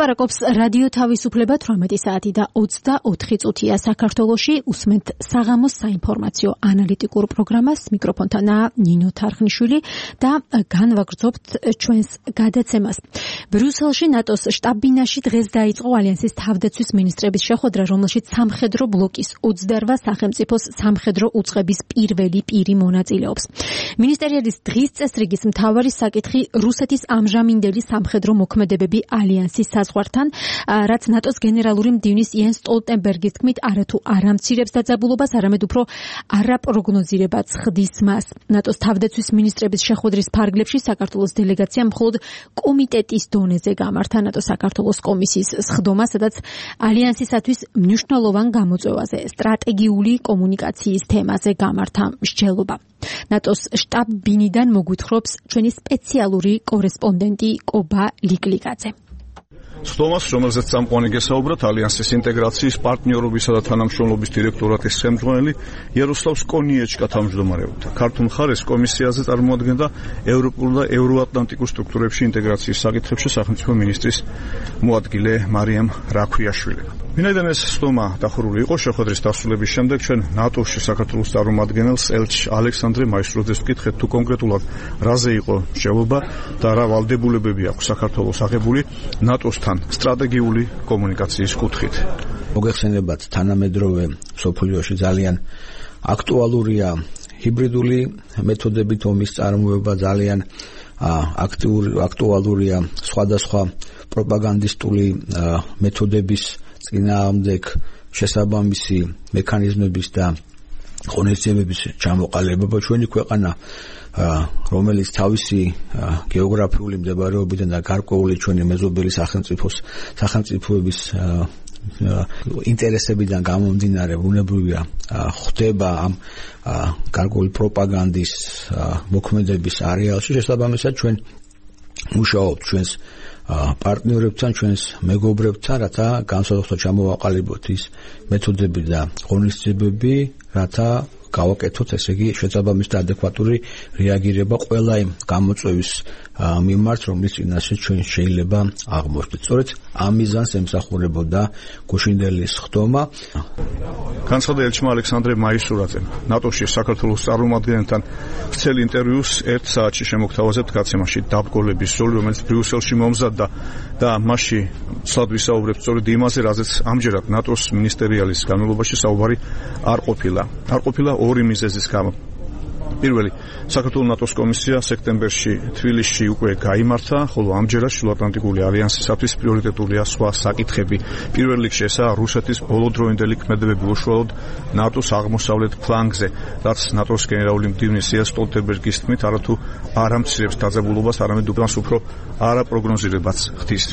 ლაპარაკობს რადიო თავისუფლება თვრამეტი საათი და ოცდაოთხი წუთია საქართველოში. უსმენთ საღამოს საინფორმაციო ანალიტიკურ პროგრამას. მიკროფონთანაა ნინო თარხნიშვილი და განვაგრძობთ ჩვენს გადაცემას. ბრიუსელში ნატოს შტაბ-ბინაში დღეს დაიწყო ალიანსის თავდაცვის მინისტრების შეხვედრა, რომელშიც სამხედრო ბლოკის ოცდაორ სახელმწიფოს სამხედრო უწყების პირველი პირი მონაწილეობს. მინისტერიალის დღის წესრიგის მთავარი საკითხი რუსეთის ამჟამინდელი სამხედრო მოქმედებები ალიანსის საზღვართან, რაც ნატოს გენერალური მდივნის იენს სტოლტენბერგის თქმით არათუ არ ამცირებს დაძაბულობას, არამედ უფრო არაპროგნოზირებად ხდის მას. ნატოს თავდაცვის მინისტრების შეხვედრის ფარგლებში საქართველოს დელეგაცია მხოლოდ კომიტეტის დონეზე გამართა ნატო საქართველოს კომისიის სხდომა, სადაც ალიანსისათვის მნიშვნელოვან გამოწვევაზე, სტრატეგიული კომუნიკაციის თემაზე გამართა მსჯელობა. ნატოს შტაბ-ბინიდან მოგვითხრობს ჩვენი სპეციალური კორესპონდენტი კობა ლიკლიკაძე. სხდომას, რომელზეც წამყვანი გესაუბრათ ალიანსის ინტეგრაციის პარტნიორობისა და თანამშრომლობის დირექტორატის ხელმძღვანელი იაროსლავ სკონიეჩკა თავმჯდომარეობდა. ქართულ მხარეს კომისიაზე წარმოადგენდა ევროპულ და ევროატლანტიკურ სტრუქტურებში ინტეგრაციის საკითხებში სახელმწიფო მინისტრის მოადგილე მარიამ რაქვიაშვილი. ვინაიდან ეს სხდომა დახურული იყო, შეხვედრის დასრულების შემდეგ ჩვენ ნატოში საქართველოს წარმომადგენელს ელჩ ალექსანდრე მაისტროძეს ვკითხეთ, თუ კონკრეტულად რაზე იყო მსჯელობა და რა ვალდებულებები აქვს საქართველოს აღებული ნატოსთან სტრატეგიული კომუნიკაციის კუთხით. მოგეხსენებათ, თანამედროვე მსოფლიოში ძალიან აქტუალურია ჰიბრიდული მეთოდებით ომის წარმოება, ძალიან აქტიური აქტუალურია სხვადასხვა პროპაგანდისტული მეთოდების წინააღმდეგ შესაბამისი მექანიზმების და ღონისძიებების ჩამოყალიბება. ჩვენი ქვეყანა, რომელიც თავისი გეოგრაფიული მდებარეობიდან და გარკვეული ჩვენი მეზობელი სახელმწიფოს სახელმწიფოების ინტერესებიდან გამომდინარე ბუნებრივია ხდება ამ გარკვეული პროპაგანდის მოქმედების არეალში. შესაბამისად ჩვენ მუშაობთ ჩვენს პარტნიორებთან, ჩვენს მეგობრებთან, რათა განსხვავებულად ჩამოვაყალიბოთ ის მეთოდები და ღონისძიებები, რათა გავაკეთოთ, ესე იგი, შესაბამისი და ადეკვატური რეაგირება ყველა იმ გამოწვევის მიმართ, რომლის წინაშე ჩვენ შეიძლება აღმოჩნდეთ. სწორედ ამ მიზანს ემსახურებოდა გუშინდელის სხდომა. განცხადა ელჩმა ალექსანდრე მაისურაძემ ნატოში საქართველოს წარმომადგენელთან ვრცელ ინტერვიუს ერთ საათში შემოგთავაზებთ გაცემაში დაბგოლების როლი, რომელიც ბრიუსელში მომზადდა და მასში სად ვისაუბრებთ სწორედ იმაზე, რაზეც ამჯერად ნატოს მინისტერიალის განმავლობაში საუბარი არ ყოფილა. არ ყოფილა ორი მიზეზის გამო. პირველი, საქართველოს ნატოს კომისია სექტემბერში თბილისში უკვე გაიმართა, ხოლო ამჯერად შუაატლანტიკური ალიანსისათვის პრიორიტეტულია სხვა საკითხები. პირველ რიგში ესაა რუსეთის ბოლოდროინდელი ქმედებები უშუალოდ ნატოს აღმოსავლეთ ფლანგზე, რაც ნატოს გენერალური მდივნის იენს სტოლტენბერგის თქმით არათუ არ ამცირებს დაძაბულობას, არამედ უფრო არაპროგნოზირებადს ხდის.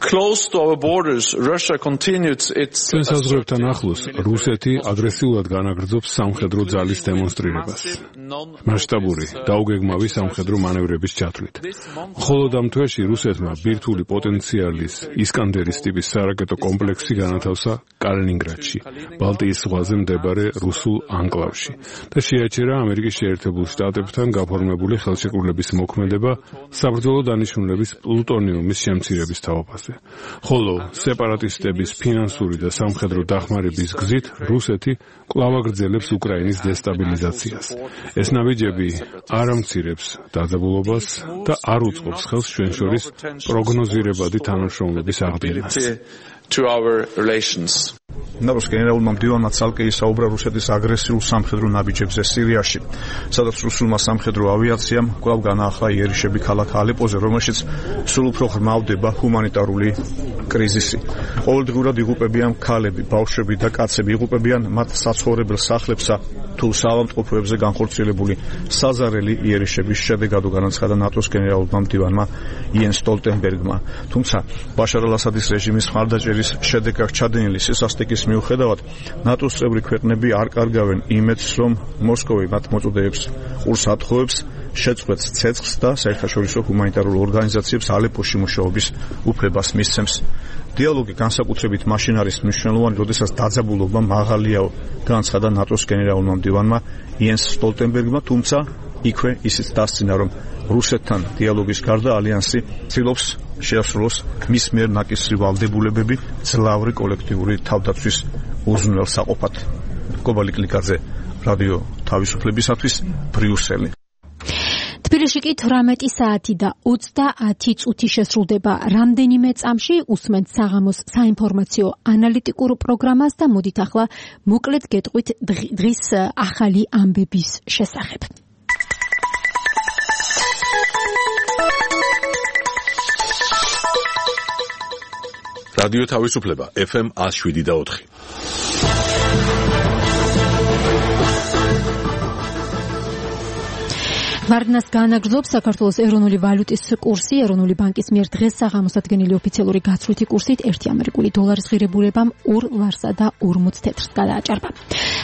Close to our borders, Russia continued its ჩვენს საზღვრებთან ახლოს რუსეთი აგრესიულად განაგრძობს სამხედრო ძალის დემონსტრირებას. მასშტაბური დაუგეგმავი სამხედრო მანევრების ჩათვლით. მხოლოდ ამ თვეში რუსეთმა ბირთვული პოტენციალის ისკანდერის ტიპის სარაკეტო კომპლექსი განათავსა კალინინგრადში, ბალტიის ზღვაზე მდებარე რუსულ ანკლავში და შეაჩერა ამერიკის შეერთებულ შტატებთან გაფორმებული ხელშეკრულების მოქმედება საბრძოლო დანიშნულების პლუტონიუმის შემცირების თაობაზე. ხოლო სეპარატისტების ფინანსური და სამხედრო დახმარების გზით რუსეთი კვლავ აგრძელებს უკრაინის დესტაბილიზაციას. ეს ნაბიჯები არ ამცირებს დაძაბულობას და არ უწყობს ხელს ჩვენ შორის პროგნოზირებადი თანამშრომლობის აღდგენას. to our relations. ნატოს გენერალურმა მდივანმა ცალკე ისაუბრა რუსეთის აგრესიულ სამხედრო ნაბიჯებზე სირიაში, სადაც რუსულმა სამხედრო ავიაციამ კვლავ განაახლა იერიშები ქალაქ ალეპოზე, რომელშიც სულ უფრო ღრმავდება ჰუმანიტარული კრიზისი. ყოველდღურად იღუპებიან ქალები, ბავშვები და კაცები, იღუპებიან მათ საცხოვრებელ სახლებსა თუ საავადმყოფოებზე განხორციელებული საზარელი იერიშების შედეგად, განაცხადა ნატოს გენერალურმა მდივანმა იენს სტოლტენბერგმა. თუმცა ბაშარ ალ-ასადის რეჟიმის მხარდაჭერის შედეგად ჩადენილი სისასტიკის მიუხედავად, ნატოს წევრი ქვეყნები არ კარგავენ იმედს, რომ მოსკოვი მათ მოწოდებს ყურს ათხოვებს, შეწყვეტს ცეცხლს და საერთაშორისო ჰუმანიტარულ ორგანიზაციებს ალეპოში მუშაობის უფლებას მისცემს. დიალოგი განსაკუთრებით მაშინ არის მნიშვნელოვანი, როდესაც დაძაბულობა მაღალიაო, განაცხადა ნატოს გენერალურმა მდივანმა იენს სტოლტენბერგმა, თუმცა იქვე ისიც დასცინა, რომ რუსეთთან დიალოგის გარდა ალიანსი ცდილობს შეასრულოს მის მიერ ნაკისრი ვალდებულებები ძლავრი კოლექტიური თავდაცვის უზრუნველსაყოფად. კობალი კლიკაძე, რადიო თავისუფლებისათვის, ბრიუსელი. თბილისში კი თვრამეტი საათი და ოცდაათი წუთი შესრულდება. რამდენიმე წამში უსმენთ საღამოს საინფორმაციო ანალიტიკურ პროგრამას და მოდით ახლა მოკლედ გეტყვით დღის ახალი ამბების შესახებ. რადიო თავისუფლება ეფ ემ one oh seven და ოთხი. ვარდნას განაგრძობს საქართველოს ეროვნული ვალუტის კურსი. ეროვნული ბანკის მიერ დღეს საღამოს ადგენილი ოფიციალური გაცვლითი კურსით ერთი ამერიკული დოლარის ღირებულებამ ორ ლარსა და ორმოც თეთრს გადააჭარბა.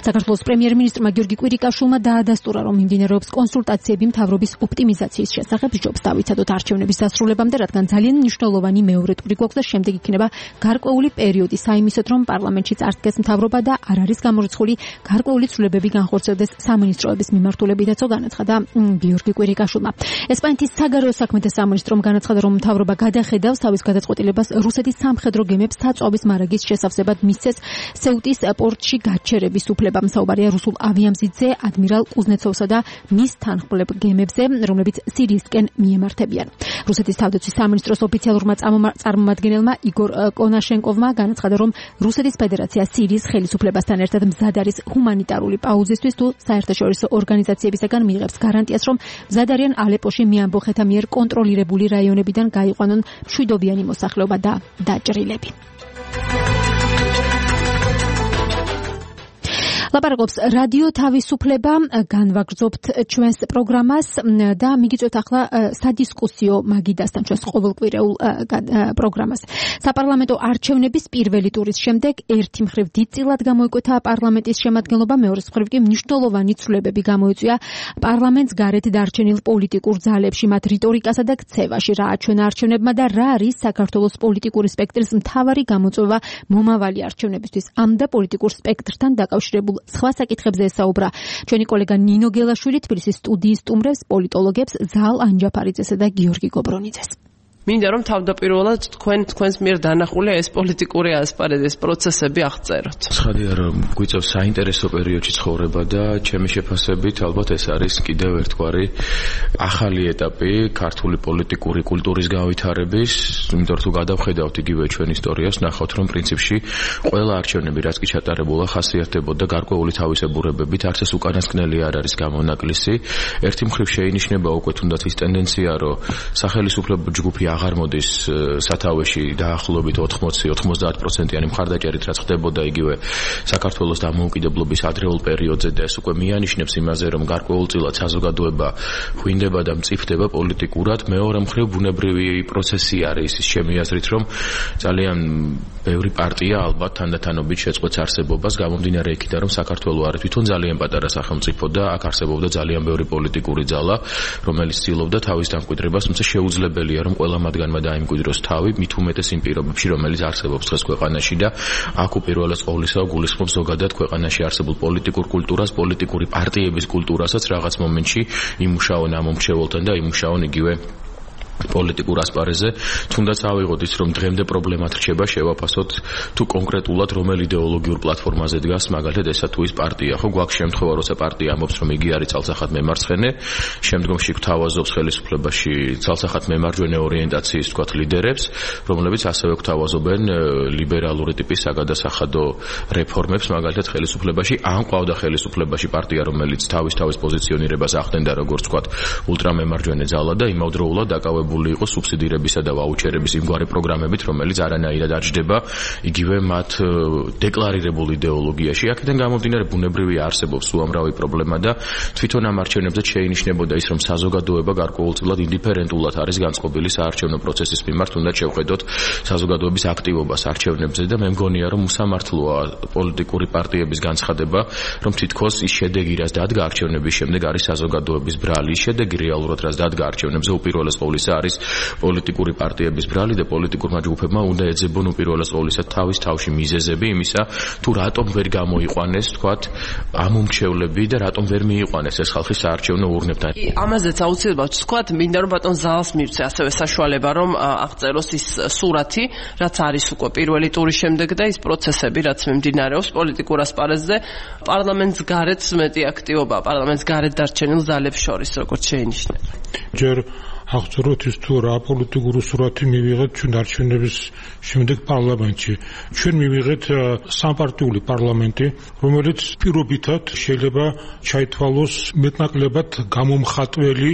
საქართველოს პრემიერ-მინისტრმა გიორგი კვირიკაშვილმა დაადასტურა, რომ მიმდინარეობს კონსულტაციები მთავრობის ოპტიმიზაციის შესახებ. ჯობს დავიცადოთ არჩევნების დასრულებამდე, რადგან ძალიან მნიშვნელოვანი მეორე ტური გვაქვს და შემდეგ იქნება გარკვეული პერიოდი საიმისოდ, რომ პარლამენტში წარდგეს მთავრობა და არ არის გამორიცხული გარკვეული ცვლილებები განხორციელდეს სამინისტროების მიმართულებითაც, განაცხადა გიორგი კვირიკაშვილმა. ესპანეთის საგარეო საქმეთა სამინისტრომ განაცხადა, რომ მთავრობა გადახედავს თავის გადაწყვეტილებას რუსეთის სამხედრო გემებს საწვავის მარაგის შესავსებად მისცეს სეუტის პორტში გაჩერების უფლება. საუბარია რუსულ ავიამზიდზე ადმირალ კუზნეცოვსა და მის თანხმლებ გემებზე, რომლებიც სირიისკენ მიემართებიან. რუსეთის თავდაცვის სამინისტროს ოფიციალურმა წარმომადგენელმა იგორ კონაშენკოვმა განაცხადა, რომ რუსეთის ფედერაცია სირიის ხელისუფლებასთან ერთად მზად არის ჰუმანიტარული პაუზისთვის თუ საერთაშორისო ორგანიზაციებისაგან მიიღებს გარანტიას, რომ მზად არიან ალეპოში მიამბოხეთა მიერ კონტროლირებული რაიონებიდან გაიყვანონ მშვიდობიანი მოსახლეობა და დაჭრილები. ლაპარაკობს რადიო თავისუფლება, განვაგრძობთ ჩვენს პროგრამას და მიგიწევთ ახლა სადისკუსიო მაგიდასთან ჩვენს ყოველკვირეულ პროგრამას. საპარლამენტო არჩევნების პირველი ტურის შემდეგ ერთი მხრივ დიდწილად გამოიკვეთა პარლამენტის შემადგენლობა, მეორე მხრივ კი მნიშვნელოვანი ცვლილებები გამოიწვია პარლამენტს გარეთ დარჩენილ პოლიტიკურ ძალებში, მათ რიტორიკასა და ქცევაში. რა აჩვენა არჩევნებმა და რა არის საქართველოს პოლიტიკური სპექტრის მთავარი გამოწვევა მომავალი არჩევნებისთვის. ამ და პოლიტიკურ სპექტრთან დაკავშირებულ სხვა საკითხებზე ესაუბრა ჩვენი კოლეგა ნინო გელაშვილი. თბილისის სტუდიის სტუმრებს, პოლიტოლოგებს ზალ ანჯაფარიძესა და გიორგი გობრონიძეს. მინდა რომ თავდაპირველად თქვენ თქვენს მიერ დანახული ეს პოლიტიკური ასპარეზის პროცესები აღწეროთ. ცხადია რომ გვიწევს საინტერესო პერიოდში ცხოვრება და ჩემი შეფასებით ალბათ ეს არის კიდევ ერთგვარი ახალი ეტაპი ქართული პოლიტიკური კულტურის გავითარების, იმიტომ რომ თუ გადავხედავთ იგივე ჩვენ ისტორიას, ნახავთ რომ პრინციპში ყველა არჩევნები რაც კი ჩატარებულა ხასიათდებოდა გარკვეული თავისებურებებით, არც ეს უკანასკნელი არ არის გამონაკლისი. ერთი მხრივ შეინიშნება უკვე თუნდაც ის ტენდენცია, რომ სახელისუფლებო ჯგუფი აღარ მოდის სათავეში დაახლოებით ოთხმოცი ოცდაათ პროცენტიანი მხარდაჭერით, რაც ხდებოდა იგივე საქართველოს დამოუკიდებლობის ადრეულ პერიოდზე და ეს უკვე მიანიშნებს იმაზე, რომ გარკვეულწილად საზოგადოება ღვინდება და მწიფდება პოლიტიკურად. მეორე მხრივ ბუნებრივი პროცესი არის ის ჩემი აზრით, რომ ძალიან ბევრი პარტია ალბათ თანდათანობით შეწყვეტს არსებობას, გამომდინარე იქიდან, რომ საქართველო არის თვითონ ძალიან პატარა სახელმწიფო და აქ არსებობდა ძალიან ბევრი პოლიტიკური ძალა, რომელიც ცდილობდა თავის დამკვიდრებას, თუმცა შეუძლებელია, რომ ყველა მათგანმა დაიმკვიდროს თავი, მით უმეტეს იმ პირობებში, რომელიც არსებობს დღეს ქვეყანაში და აქ უპირველეს ყოვლისა გულისხმობს ზოგადად ქვეყანაში არსებულ პოლიტიკურ კულტურას, პოლიტიკური პარტიების კულტურასაც რაღაც მომენტში იმუშაონ ამ მომრჩეველთან და იმუშაონ იგივე პოლიტიკურ ასპარეზზე. თუნდაც ავიღოთ ის, რომ დღემდე პრობლემად რჩება შევაფასოთ თუ კონკრეტულად რომელ იდეოლოგიურ პლატფორმაზე დგას, მაგალითად ესა თუ ის პარტია, ხო გვაქვს შემთხვევა, როცა პარტია ამბობს, რომ იგი არის ცალსახად მემარცხენე, შემდგომში გვთავაზობს ხელისუფლებაში ცალსახად მემარჯვენე ორიენტაციის თქვათ ლიდერებს, რომლებიც ასევე გვთავაზობენ ლიბერალური ტიპის საგადასახადო რეფორმებს, მაგალითად ხელისუფლებაში. ან ყავდა ხელისუფლებაში პარტია, რომელიც თავის თავის პოზიციონირებას ახდენდა როგორც თქვათ ულტრამემარჯვენე ძალა და იმავდროულად დაკავებული იყო სუბსიდირებისა და ვაუჩერების იმგვარი პროგრამებით, რომელიც არანაირად არ ჯდება იგივე მათ დეკლარირებულ იდეოლოგიაში. აქედან გამომდინარე ბუნებრივი არსებობს უამრავი პრობლემა და თვითონ ამ არჩევნებზე შეინიშნებოდა ის, რომ საზოგადოება გარკვეულწილად ინდიფერენტულად არის განწყობილი საარჩევნო პროცესის მიმართ, თუნდაც შევხედოთ საზოგადოების აქტივობას არჩევნებზე და მე მგონია, რომ უსამართლოა პოლიტიკური პარტიების განცხადება, რომ თითქოს ის შედეგი, რაც დადგა არჩევნების შემდეგ, არის საზოგადოების ბრალი. შედეგი რეალურად რაც დადგა არჩევნებზე უპირველეს ყოვლისა არის პოლიტიკური პარტიების ბრალი და პოლიტიკურმა ჯგუფებმა უნდა ეძებონ უპირველეს ყოვლისა თავის თავში მიზეზები იმისა, თუ რატომ ვერ გამოიყვანეს, თქვათ, ამომრჩევლები და რატომ ვერ მიიყვანეს ეს ხალხის საარჩევნო ურნებთან. ამაზეც აუცილებლად ვთქვათ, მინდა რომ ბატონ ზალს მივცე ასევე საშუალება, რომ აღწეროს ის სურათი, რაც არის უკვე პირველი ტურის შემდეგ და ის პროცესები, რაც მიმდინარეობს პოლიტიკურ ასპარეზზე, პარლამენტს გარეთ მეტი აქტივობა, პარლამენტს გარეთ დარჩენილ ზალებს შორის, როგორც შეინიშნება. ჯერ აღწეროთ ის თუ რა პოლიტიკური სურათი მივიღეთ ჩვენ არჩევნების შემდეგ პარლამენტში. ჩვენ მივიღეთ სამპარტიული პარლამენტი, რომელიც პირობითად შეიძლება ჩაითვალოს მეტნაკლებად გამომხატველი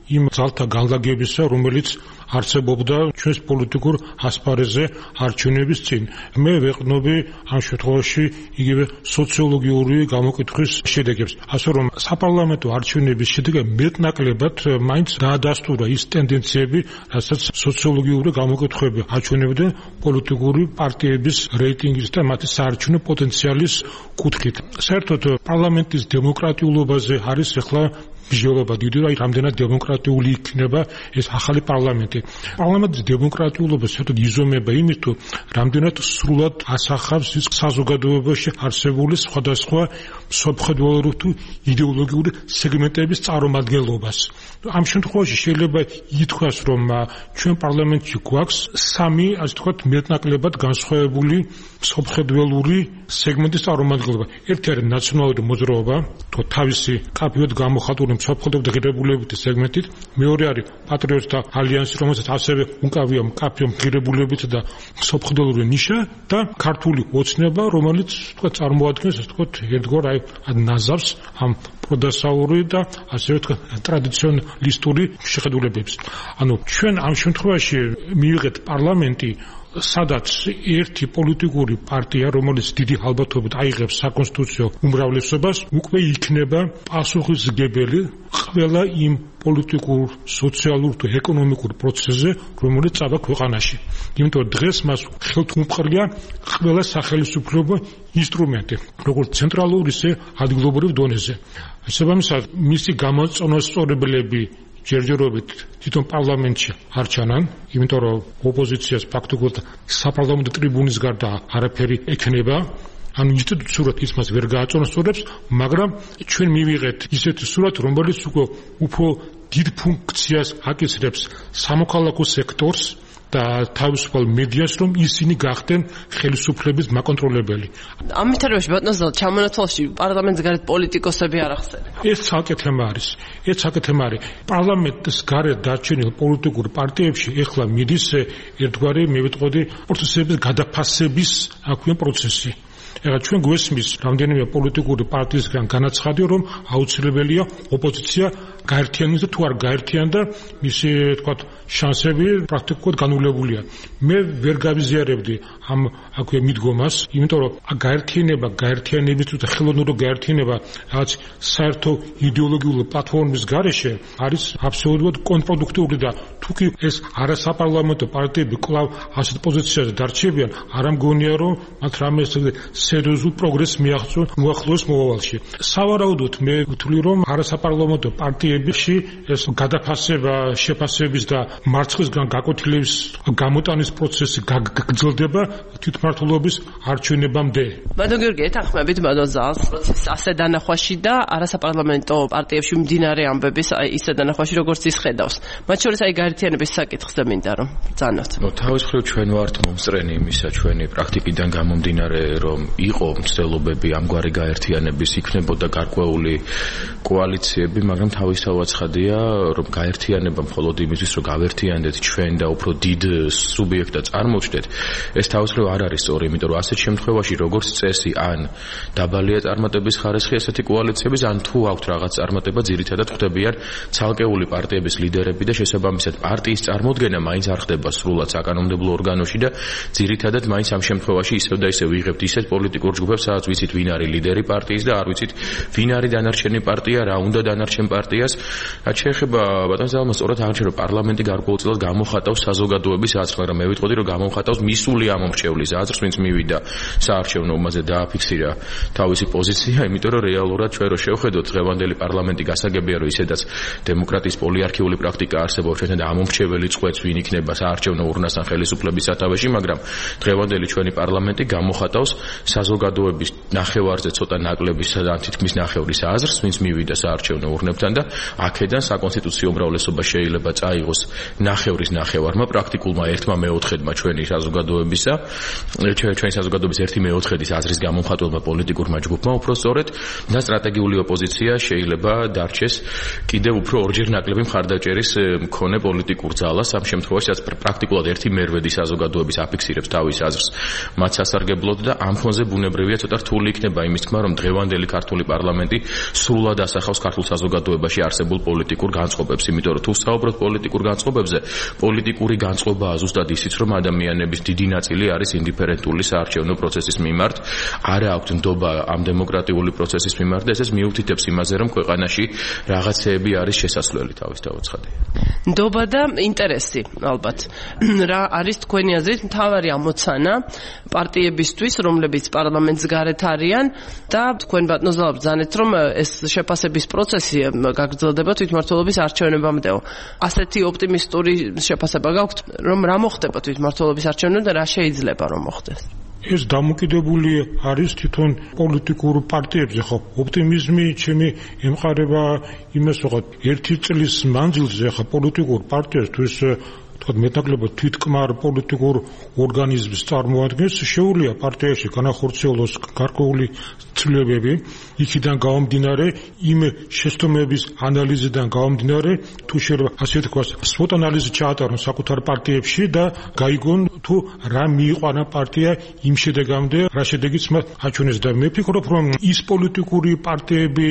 იმ ძალთა განლაგებისა, რომელიც არსებობდა ჩვენს პოლიტიკურ ასპარეზზე არჩევნების წინ. მე ვეყნობი ამ შემთხვევაში იგივე სოციოლოგიური გამოკითხვის შედეგებს. ასე რომ საპარლამენტო არჩევნების შედეგები მეტნაკლებად მაინც დაადასტურა ის ტენდენციები, რასაც სოციოლოგიური გამოკითხვები აჩვენებდნენ პოლიტიკური პარტიების რეიტინგის და მათი საარჩევნო პოტენციალის კუთხით. საერთოდ პარლამენტის დემოკრატიულობაზე არის ახლა ბიჟოლობა დიდი, აი რამდენად დემოკრატიული იქნება ეს ახალი პარლამენტი. პარლამენტის დემოკრატიულობა საერთოდ იზომება იმით, თუ რამდენად სრულად ასახავს ის საზოგადოებაში არსებული სხვადასხვა სოფხედველური თუ იდეოლოგიური სეგმენტების წარმომადგენლობას. ამ შემთხვევაში შეიძლება ითქვას, რომ ჩვენ პარლამენტში გვაქვს სამი, ასე ვთქვათ, მეტნაკლებად განსხვავებული სოფხედველური სეგმენტის წარმომადგენლობა. ერთი არის ნაციონალური მოძრაობა, თუ თავისი კაფეოდ გამოხატული სოფხედელთა ღირებულებითი სეგმენტით, მეორე არის პატრიოტთა ალიანსი, რომელსაც ასევე უკავია მკაფიო ღირებულებითი და სოფხედელური ნიშა და ქართული ოცნება, რომელიც თქვა წარმოადგენს, ასე ვთქვათ, ერთგვარ აი ნაზავს ამ პროდასაური და ასე ვთქვათ ტრადიციონალისტური შეხედულებებს. ანუ ჩვენ ამ შემთხვევაში მივიღეთ პარლამენტი, სადაც ერთი პოლიტიკური პარტია, რომელიც დიდი ალბათობით აიღებს საკონსტიტუციო უმრავლესობას, უკვე იქნება პასუხისმგებელი ყველა იმ პოლიტიკურ, სოციალურ თუ ეკონომიკურ პროცესზე, რომელიც წავა ქვეყანაში. იმიტომ დღეს მას ხელთ უმყრია ყველა სახელმწიფო ინსტრუმენტი, როგორც ცენტრალური, ისე ადგილობრივ დონეზე. შესაბამისად, მისი გამოწონასწორებლები ჯერჯერობით თვითონ პარლამენტში არ ჩანან, იმიტომ რომ ოპოზიციას ფაქტობრივად საპარლამენტო ტრიბუნის გარდა არაფერი ექნება. ანუ ინსტიტუციურად ის მას ვერ გააწონასწორებს, მაგრამ ჩვენ მივიღეთ ისეთი სურათი, რომელიც უკვე უფრო დიდ ფუნქციას აკისრებს სამოქალაქო სექტორს და თავისუფალ მედიას, რომ ისინი გახდნენ ხელისუფლების მაკონტროლებელი. ამ მითარებაში ბატონო ზალ ჩამონათვალში პარლამენტის გარეთ პოლიტიკოსები არ ახსენებ. ეს ცალკე თემა არის. ეს ცალკე თემა არის. პარლამენტის გარეთ დარჩენილ პოლიტიკურ პარტიებში ეხლა მიდის ერთგვარი, მე ვიტყოდი, პროცესების გადაფასების აქვე პროცესი. ეხლა ჩვენ გვესმის რამდენიმე პოლიტიკური პარტიისგან განაცხადი, რომ აუცილებელია ოპოზიცია გაერთიანდეს და თუ არ გაერთიანდა, მისი თქვათ შანსები პრაქტიკულად განულებულია. მე ვერ გავიზიარებდი ამ აქვე მიდგომას, იმიტომ რომ გაერთიანება, გაერთიანების და ხელოვნური გაერთიანება რაც საერთო იდეოლოგიური პლატფორმის გარეშე არის აბსოლუტურად კონტრპროდუქტიული და თუ კი ეს არასაპარლამენტო პარტიები კვლავ ასეთ პოზიციაზე დარჩებიან, არ ამგონია რომ მათ რამე სერიოზულ პროგრესს მიაღწიონ უახლოეს მომავალში. სავარაუდოდ მე ვთვლი, რომ არასაპარლამენტო პარტიებში ეს გადაფასება, შეფასების და მარცხისგან გაკვეთილების გამოტანის პროცესი გაგრძელდება თვითმმართველობის არჩევნებამდე. ბატონ გიორგი, ეთანხმებით ბატონ ზალს პროცესს ასე დანახვაში და არასაპარლამენტო პარტიებში მდინარე ამბების ისე დანახვაში, როგორც ის ხედავს. მათ შორის აი გაერთიანების საკითხზე მინდა რომ ბრძანოთ. ნუ თავის მხრივ ჩვენ ვართ მომსწრენი იმისა, ჩვენი პრაქტიკიდან გამომდინარე, რომ იყო მცდელობები ამგვარი გაერთიანების, იქნებოდა გარკვეული კოალიციები, მაგრამ თავისთავად ცხადია, რომ გაერთიანება მხოლოდ იმისთვის, რომ გავერთიანდეთ ჩვენ და უფრო დიდ სუბიექტად წარმოჩნდეთ, ეს თავის მხრივ არ არის სწორი, იმიტომ რომ ასეთ შემთხვევაში როგორც წესი ან დაბალია წარმატების ხარისხი ესეთი კოალიციების, ან თუ აქვთ რაღაც წარმატება, ძირითადად ხდებიან ცალკეული პარტიების ლიდერები და შესაბამისად პარტიის წარმოდგენა მაინც არ ხდება სრულად საკანონმდებლო ორგანოში და ძირითადად მაინც ამ შემთხვევაში ისევ და ისევ ვიღებთ ისეთ პოლიტიკურ ჯგუფებს, სადაც ვიცით ვინ არის ლიდერი პარტიის და არ ვიცით ვინ არის დანარჩენი პარტია, რა უნდა დანარჩენ პარტიას. რაც შეეხება ბატონ ზალმა, სწორად აღნიშნა, რომ პარლამენტი გარკვეულწილად გამოხატავს საზოგადოების აზრს, მაგრამ მე ვიტყოდი, რომ გამოხატავს მისული ამომრჩევლის აზრს აზრს, ვინც მივიდა საარჩევნო ომაზე დააფიქსირა თავისი პოზიცია, იმიტომ რომ რეალურად ჩვენ რო შევხედოთ დღევანდელი პარლამენტი გასაგებია რომ ისედაც დემოკრატიის პოლიარქიული პრაქტიკა არსებობს ჩვენთან და ამომრჩეველი წყვეტს ვინ იქნება საარჩევნო ურნასთან ხელისუფლების სათავეში, მაგრამ დღევანდელი ჩვენი პარლამენტი გამოხატავს საზოგადოების ნახევარზე ცოტა ნაკლების და თითქმის ნახევრის აზრს, ვინც მივიდა საარჩევნო ურნებთან და აქედან საკონსტიტუციო უმრავლესობა შეიძლება წაიღოს ნახევრის ნახევარმა, პრაქტიკულმა ერთმა მეოთხედმა ჩვენი საზოგადოებისა, ჩვენი საზოგადოების ერთი მეოთხედის აზრის გამომხატველმა პოლიტიკურმა ჯგუფმა უпростоრეთ და სტრატეგიული ოპოზიცია შეიძლება დარჩეს კიდევ უფრო ორჯერ ნაკლები მხარდაჭერის მქონე პოლიტიკურ ძალას, ამ შემთხვევაში რაც პრაქტიკულად ერთი მერვედი საზოგადოების აფიქსირებს თავის აზრს მათ სასარგებლოდ და ამ ფონზე ბუნებრივია ცოტა რთული იქნება იმის თქმა, რომ დღევანდელი ქართული პარლამენტი სრულად ასახავს ქართულ საზოგადოებაში არსებულ პოლიტიკურ განწყობებს, იმიტომ რომ თუ საუბრობთ პოლიტიკურ განწყობებზე, პოლიტიკური განწყობაა ზუსტად ისიც, რომ ადამიანების დიდი ნაწილი არის ინდიფერენტული საარჩევნო პროცესის მიმართ, არა აქვთ ნდობა ამ დემოკრატიული პროცესის მიმართ და ესეც მიუთითებს იმაზე, რომ ქვეყანაში რაღაცეები არის შესაძლებელი თავის თავაცხადია. ნდობა და ინტერესი, ალბათ. რა არის თქვენი აზრით მთავარი ამოცანა პარტიებისთვის, რომლებიც პარლამენტს გარეთ არიან და თქვენ ბატონო ბრძანეთ, რომ ეს შეფასების პროცესი გაგრძელდება თვითმმართველობის არჩევნებამდეო. ასეთი ოპტიმისტური შეფასება გაქვთ, რომ რა მოხდება თვითმმართველობის არჩევნებამდე და რა შეიძლება რომ მოხდეს? ეს დამოკიდებული არის თვითონ პოლიტიკურ პარტიებზე, ხო? ოპტიმიზმი ჩემი ემყარება იმას, რომ ერთი წლის მანძილზე ხა პოლიტიკურ პარტიასთვის თქვა მეტნაკლებად თვითკმარ პოლიტიკურ ორგანიზმს წარმოადგენს, შეუძლია პარტიაში განახორციელოს გარკვეული ცვლილებები, იქიდან გამომდინარე, იმ შეცდომების ანალიზიდან გამომდინარე, თუ შეიძლება ასე თქვას, SWOT ანალიზი ჩაატარონ საკუთარ პარტიებში და გაიგონ თუ რა მიიყვანა პარტია იმ შედეგამდე, რა შედეგიც მათ აჩვენეს და მე ვფიქრობ, რომ ის პოლიტიკური პარტიები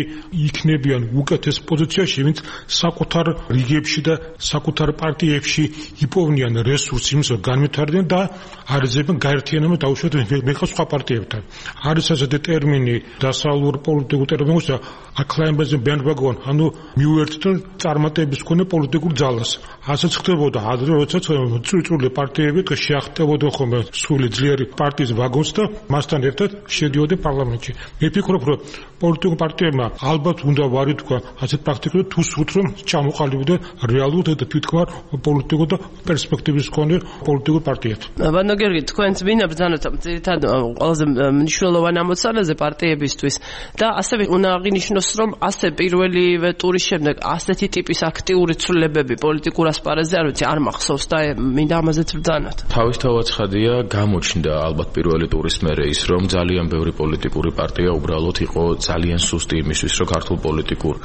იქნებიან უკეთეს პოზიციაში, ვინც საკუთარ რიგებში და საკუთარ პარტიებში იპოვნიან რესურსს იმის განვითარდნენ და არიზებენ გაერთიანებას დაუშვათ მეხა სხვა პარტიებთან. არის ასეთი ტერმინი დასავლურ პოლიტიკურ ტერმინებში acclaimation bandwagon, ანუ მიუერთდნენ წარმატების მქონე პოლიტიკურ ძალას. ასეც ხდებოდა ადრე, როდესაც წვრილი პარტიები შეახტებოდა ხოლმე სული ძლიერი პარტიის ვაგონს და მასთან ერთად შედიოდა პარლამენტში. მე ვფიქრობ, რომ პოლიტიკურ პარტიებმა ალბათ უნდა ვარი თქვა ასეთ პრაქტიკულად თუ სურთ რომ ჩამოყალიბდნენ რეალურად და თვითკმარ პოლიტიკურ და პერსპექტივის მქონე პოლიტიკურ პარტიად. ბატონო გიორგი, თქვენც მინდა ბრძანოთ ძირითადად ყველაზე მნიშვნელოვან ამოცანაზე პარტიებისთვის და ასევე უნდა აღინიშნოს, რომ ასე პირველივე ტურის შემდეგ ასეთი ტიპის აქტიური ცვლილებები პოლიტიკურ ასპარეზზე არ ვიცი არ მახსოვს და მინდა ამაზეც ბრძანოთ. თავისთავად ცხადია, გამოჩნდა ალბათ პირველი ტურის მერე ის, რომ ძალიან ბევრი პოლიტიკური პარტია უბრალოდ იყო ძალიან სუსტი იმისთვის, რომ ქართულ პოლიტიკურ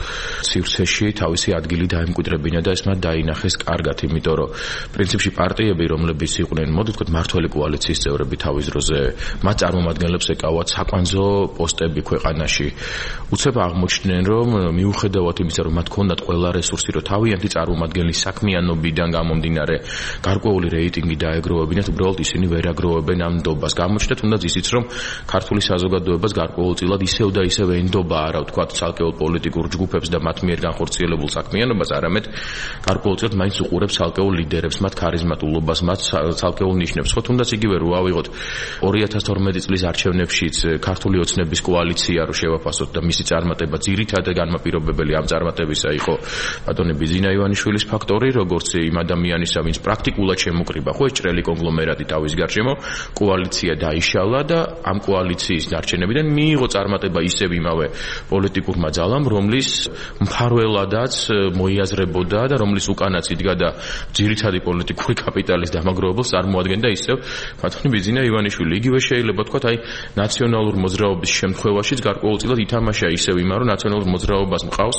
სივრცეში თავისი ადგილი დაემკვიდრებინა და ეს მათ დაინახეს კარგად, იმიტომ რომ პრინციპში პარტიები, რომლებიც იყვნენ, მოდი ვთქვათ, მართველი კოალიციის წევრები თავის დროზე, მათ წარმომადგენლებს ეკავათ საკვანძო პოსტები ქვეყანაში. უცებ აღმოჩნდნენ, რომ მიუხედავად იმისა, რომ მათ ჰქონდათ ყველა რესურსი, რომ თავიანთი წარმომადგენლის საქმიანობიდან გამომდინარე გარკვეული რეიტინგი დაეგროვებინათ, უბრალოდ ისინი ვერ აგროვებენ ამ ნდობას. გამოჩნდა თუნდაც ისიც, რომ ქართული საზოგადოებას გარკვეულწილად ისევ და ისევ ენდობა არა ვთქვათ ცალკეულ პოლიტიკურ ჯგუფებს და მათ მიერ განხორციელებულ საქმიანობას, არამედ გარკვეულწილად მაინც უყურებს ცალკეულ ლიდერებს, მათ ქარიზმატულობას, მათ ცალკეულ ნიშნებს. ხო, თუნდაც იგივე რო ავიღოთ ორი ათას თორმეტი წლის არჩევნებშიც ქართული ოცნების კოალიცია რო შევაფასოთ და მისი წარმატება ძირითადად განმაპირობებელი ამ წარმატებისა იყო ბატონი ბიძინა ივანიშვილის ფაქტორი, როგორც იმ ადამიანისა, ვინც პრაქტიკულად შემოკრიბა, ხო, ეს ჭრელი კონგლომერატი თავის გარშემო, კოალიცია დაიშალა და ამ კოალიციის ნარჩენებიდან მიიღო წარმატება ისევ იმავე პოლიტიკურმა ძალამ, რომლის მფარველადაც მოიაზრებოდა და რომლის უკანაც იდგა და ძირითადი პოლიტიკური კაპიტალის დამაგროვებელს წარმოადგენდა ისევ ბატონი ბიძინა ივანიშვილი. იგივე შეიძლება თქვათ, აი ნაციონალურ მოძრაობის შემთხვევაშიც გარკვეულწილად ითამაშა ისევ იმან, რომ ნაციონალურ მოძრაობას მყავს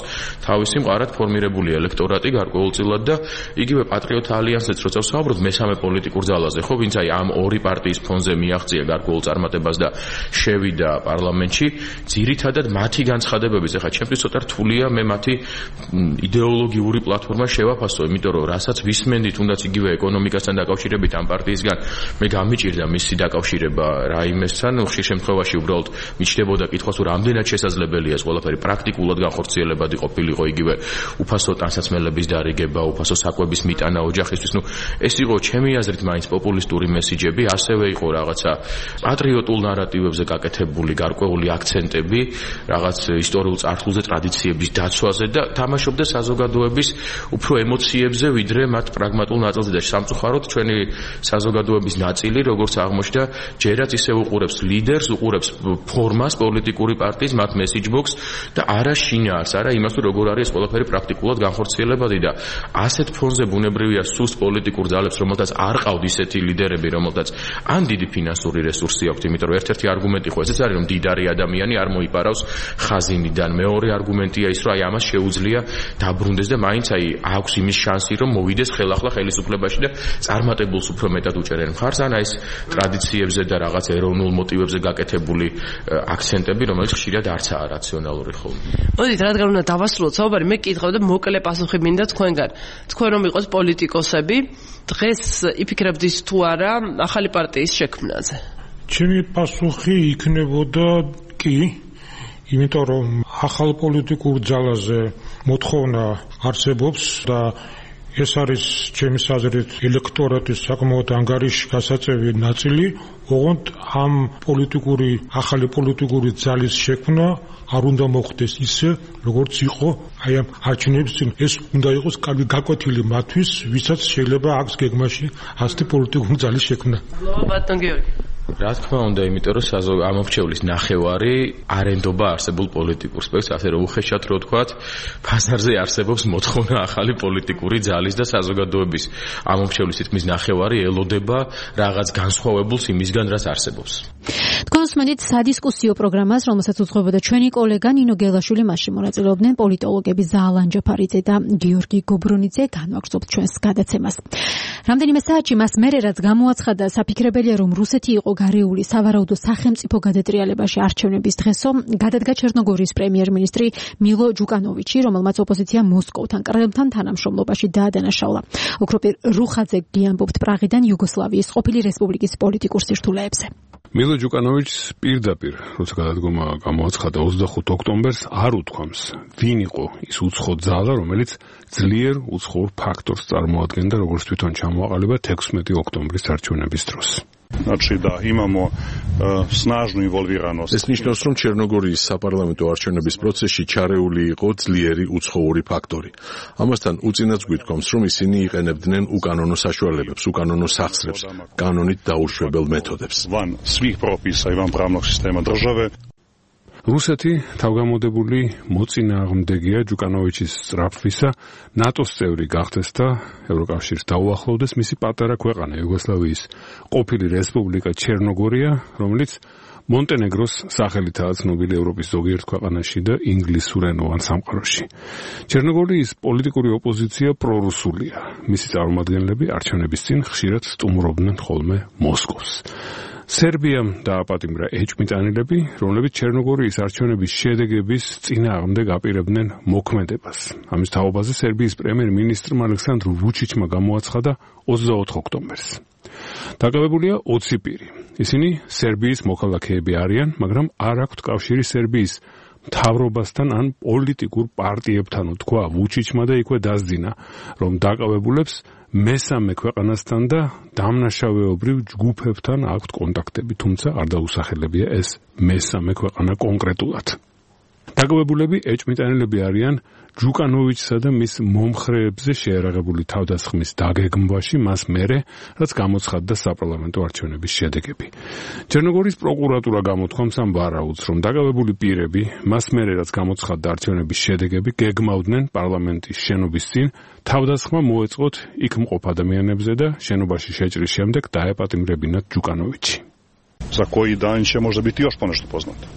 თავისი მყარად ფორმირებული ელექტორატი გარკვეულწილად და იგივე პატრიოტ ალიანსიც როცა ვსაუბრობთ მესამე პოლიტიკურ ძალაზე, ხო, ვინც აი ამ ორი პარტიის ფონზე მიაღწია გარკვეულ წარმატებას და შევიდა პარლამენტში, ძირითადად მათი განცხადებების, ეხლა ჩემთვის ცოტა რთულია მე მათი იდეოლოგიური პლატფორმა შევაფასო, იმიტომ რომ რასაც ვისმენდით თუნდაც იგივე ეკონომიკასთან დაკავშირებით ამ პარტიისგან მე გამიჭირდა მისი დაკავშირება რაიმესთან, ხშირ შემთხვევაში უბრალოდ მიჩნდებოდა კითხვას, თუ რამდენად შესაძლებელია ეს ყველაფერი პრაქტიკულად განხორციელებადი ყოფილიყო იგივე უფასო ტანსაცმელების დარიგება, უფასო საკვების მიტანა ოჯახისთვის. ნუ ეს იყო ჩემი აზრით მაინც პოპულისტური მესიჯები, ასევე იყო რაღაცა პატრიოტულ ნარატივებზე გაკეთებული გარკვეული აქცენტები, რაღაც ისტორიულ წარსულზე, ტრადიციების დაცვაზე და თამაშობდა საზოგადოების უფრო ემოციებზე, ვიდრე მათ პრაგმატულ ნაწილზე და სამწუხაროდ ჩვენი საზოგადოების ნაწილი, როგორც აღმოჩნდა, ჯერაც ისე უყურებს ლიდერს, უყურებს ფორმას პოლიტიკური პარტიის, მათ მესიჯბოქს და არა შინაარს, არა იმას, თუ როგორ არის ეს ყველაფერი პრაქტიკულად განხორციელებადი და ასეთ ფონზე ბუნებრივია სუსტ პოლიტიკურ ძალებს, რომელთაც არ ყავთ ისეთი ლიდერები, რომელთაც ან დიდი ფინანსური რესურსი აქვთ, იმიტომ რომ ერთ-ერთი არგუმენტი ხო ესეც არის, რომ დიდარი ადამიანი არ მოიპარავს ხაზინიდან. მეორე არგუმენტია ის, რომ აი ამას შეუძლია დაბრუნდეს და მაინც აი აქვს იმის შანსი, რომ მოვიდეს ხელახლა ხელისუფლებაში და წარმატებულს უფრო მეტად უჭერენ მხარს, ან აი ეს ტრადიციებზე და რაღაც ეროვნულ მოტივებზე გაკეთებული აქცენტები, რომელიც ხშირად არცაა რაციონალური ხოლმე. მოდით, რადგან უნდა დავასრულოთ საუბარი, მე კითხავ და მოკლე პასუხი მინდა თქვენგან. თქვენ რომ იყოს პოლიტიკოსები, დღეს იფიქრებთ ის თუ არა ახალი პარტიის შექმნაზე? ჩემი პასუხი იქნებოდა კი, იმიტომ რომ ახალ პოლიტიკურ ძალაზე მოთხოვნა არსებობს და ეს არის ჩემი აზრით ელექტორატის საკმაოდ ანგარიში გასაწევი ნაწილი, ოღონდ ამ პოლიტიკური ახალი პოლიტიკური ძალის შექმნა არ უნდა მოხდეს ისე, როგორც იყო აი ამ არჩევნების წინ. ეს უნდა იყოს კარგი გაკვეთილი მათთვის, ვისაც შეიძლება აქვს გეგმაში ასეთი პოლიტიკური ძალის შექმნა. ბატონ გიორგი. რა თქმა უნდა, იმიტომ რომ ამორჩევლის ნახევარი არენდობა არსებულ პოლიტიკურ სპექტრს, ასე რომ უხეშად რო ვთქვათ, ფაზარზე არსებობს მოთხოვნა ახალი პოლიტიკური ძალის და საზოგადოების ამორჩევლის თითქმის ნახევარი ელოდება რაღაც განსხვავებულს იმისგან, რაც არსებობს. თქვენ უსმენთ სადისკუსიო პროგრამას, რომელსაც უძღვებოდა ჩვენი კოლეგა ნინო გელაშვილი, მასში მონაწილეობდნენ პოლიტოლოგები ზაალან ჯაფარიძე და გიორგი გობრონიძე. განვაგრძობთ ჩვენს გადაცემას. რამდენიმე საათში მას მერე რაც გამოაცხადა, საფიქრებელია, რომ რუსეთი იყო გარეული სავარაუდო სახელმწიფო გადატრიალებაში არჩევნების დღესო, გადადგა ჩერნოგორიის პრემიერ-მინისტრი მილო ჯუკანოვიჩი, რომელმაც ოპოზიცია მოსკოვთან კრემლთან თანამშრომლობაში დაადანაშაულა. ოქროპირ რუხაძე გიამბობთ პრაღიდან იუგოსლავიის ყოფილი რესპუბლიკის პოლიტიკურ სირთულეებზე. მილო ჯუკანოვიჩს პირდაპირ, როცა გადადგომა გამოაცხადა ოცდახუთ ოქტომბერს, არ უთქვამს, ვინ იყო ის უცხო ძალა, რომელიც ძლიერ უცხოურ ფაქტორს წარმოადგენდა, როგორც თვითონ ჩამოაყალიბა თექვსმეტი ოქტომბრის არჩევნების დროს. Znači da imamo uh, snažnu involviranost. ეს ნიშნავს, რომ ჩერნოგორიის საპარლამენტო არჩევნების პროცესში ჩარეული იყო ძლიერი უცხოური ფაქტორი. ამასთან უწინაც გვითქვამს, რომ ისინი იყენებდნენ უკანონო საშუალებებს, უკანონო სახსრებს, კანონით დაუშვებელ მეთოდებს. Van svih propisa i van pravnog sistema države. რუსეთი თავგამოდებული მოწინააღმდეგეა ჯუკანოვიჩის სწრაფვისა, ნატოს წევრი გახდეს და ევროკავშირს დაუახლოვდეს მისი პატარა ქვეყანა იუგოსლავიის ყოფილი რესპუბლიკა ჩერნოგორია, რომელიც მონტენეგროს სახელითაა ცნობილი ევროპის ზოგიერთ ქვეყანაში და ინგლისურენოვან სამყაროში. ჩერნოგორიის პოლიტიკური ოპოზიცია პრორუსულია. მისი წარმომადგენლები არჩევნების წინ ხშირად სტუმრობდნენ ხოლმე მოსკოვს. სერბიამ დააპატიმრა ეჭვმიტანილები, რომლებიც ჩერნოგორიის არჩევნების შედეგების წინააღმდეგ აპირებდნენ მოქმედებას. ამის თაობაზე სერბიის პრემიერ-მინისტრმა ალექსანდრ ვუჩიჩმა გამოაცხადა ოცდაოთხ ოქტომბერს. დაკავებულია ოცი პირი. ისინი სერბიის მოქალაქეები არიან, მაგრამ არ აქვთ კავშირი სერბიის მთავრობასთან ან პოლიტიკურ პარტიებთან, თქვა ვუჩიჩმა და იქვე დასძინა, რომ დაკავებულებს მესამე ქვეყანასთან და დამნაშავეობრივ ჯგუფებთან აქვთ კონტაქტები, თუმცა არ დაუსახელებია ეს მესამე ქვეყანა კონკრეტულად. დაკავებულები ეჭვმიტანილები არიან ჯუკანოვიჩსა და მის მომხრეებზე შეერაღებული თავდასხმის დაგეგმვაში მას მერე, რაც გამოცხადდა საპარლამენტო არჩევნების შედეგები. ჩერნოგორიის პროკურატურა გამოთქვამს ამ ვარაუდს, რომ დაკავებული პირები მას მერე, რაც გამოცხადდა არჩევნების შედეგები, გეგმავდნენ პარლამენტის შენობის წინ თავდასხმა მოეწყოთ იქ მყოფ ადამიანებზე და შენობაში შეჭრის შემდეგ დაეპატიმრებინათ ჯუკანოვიჩი. За koji dan će možda biti još ponešto poznato.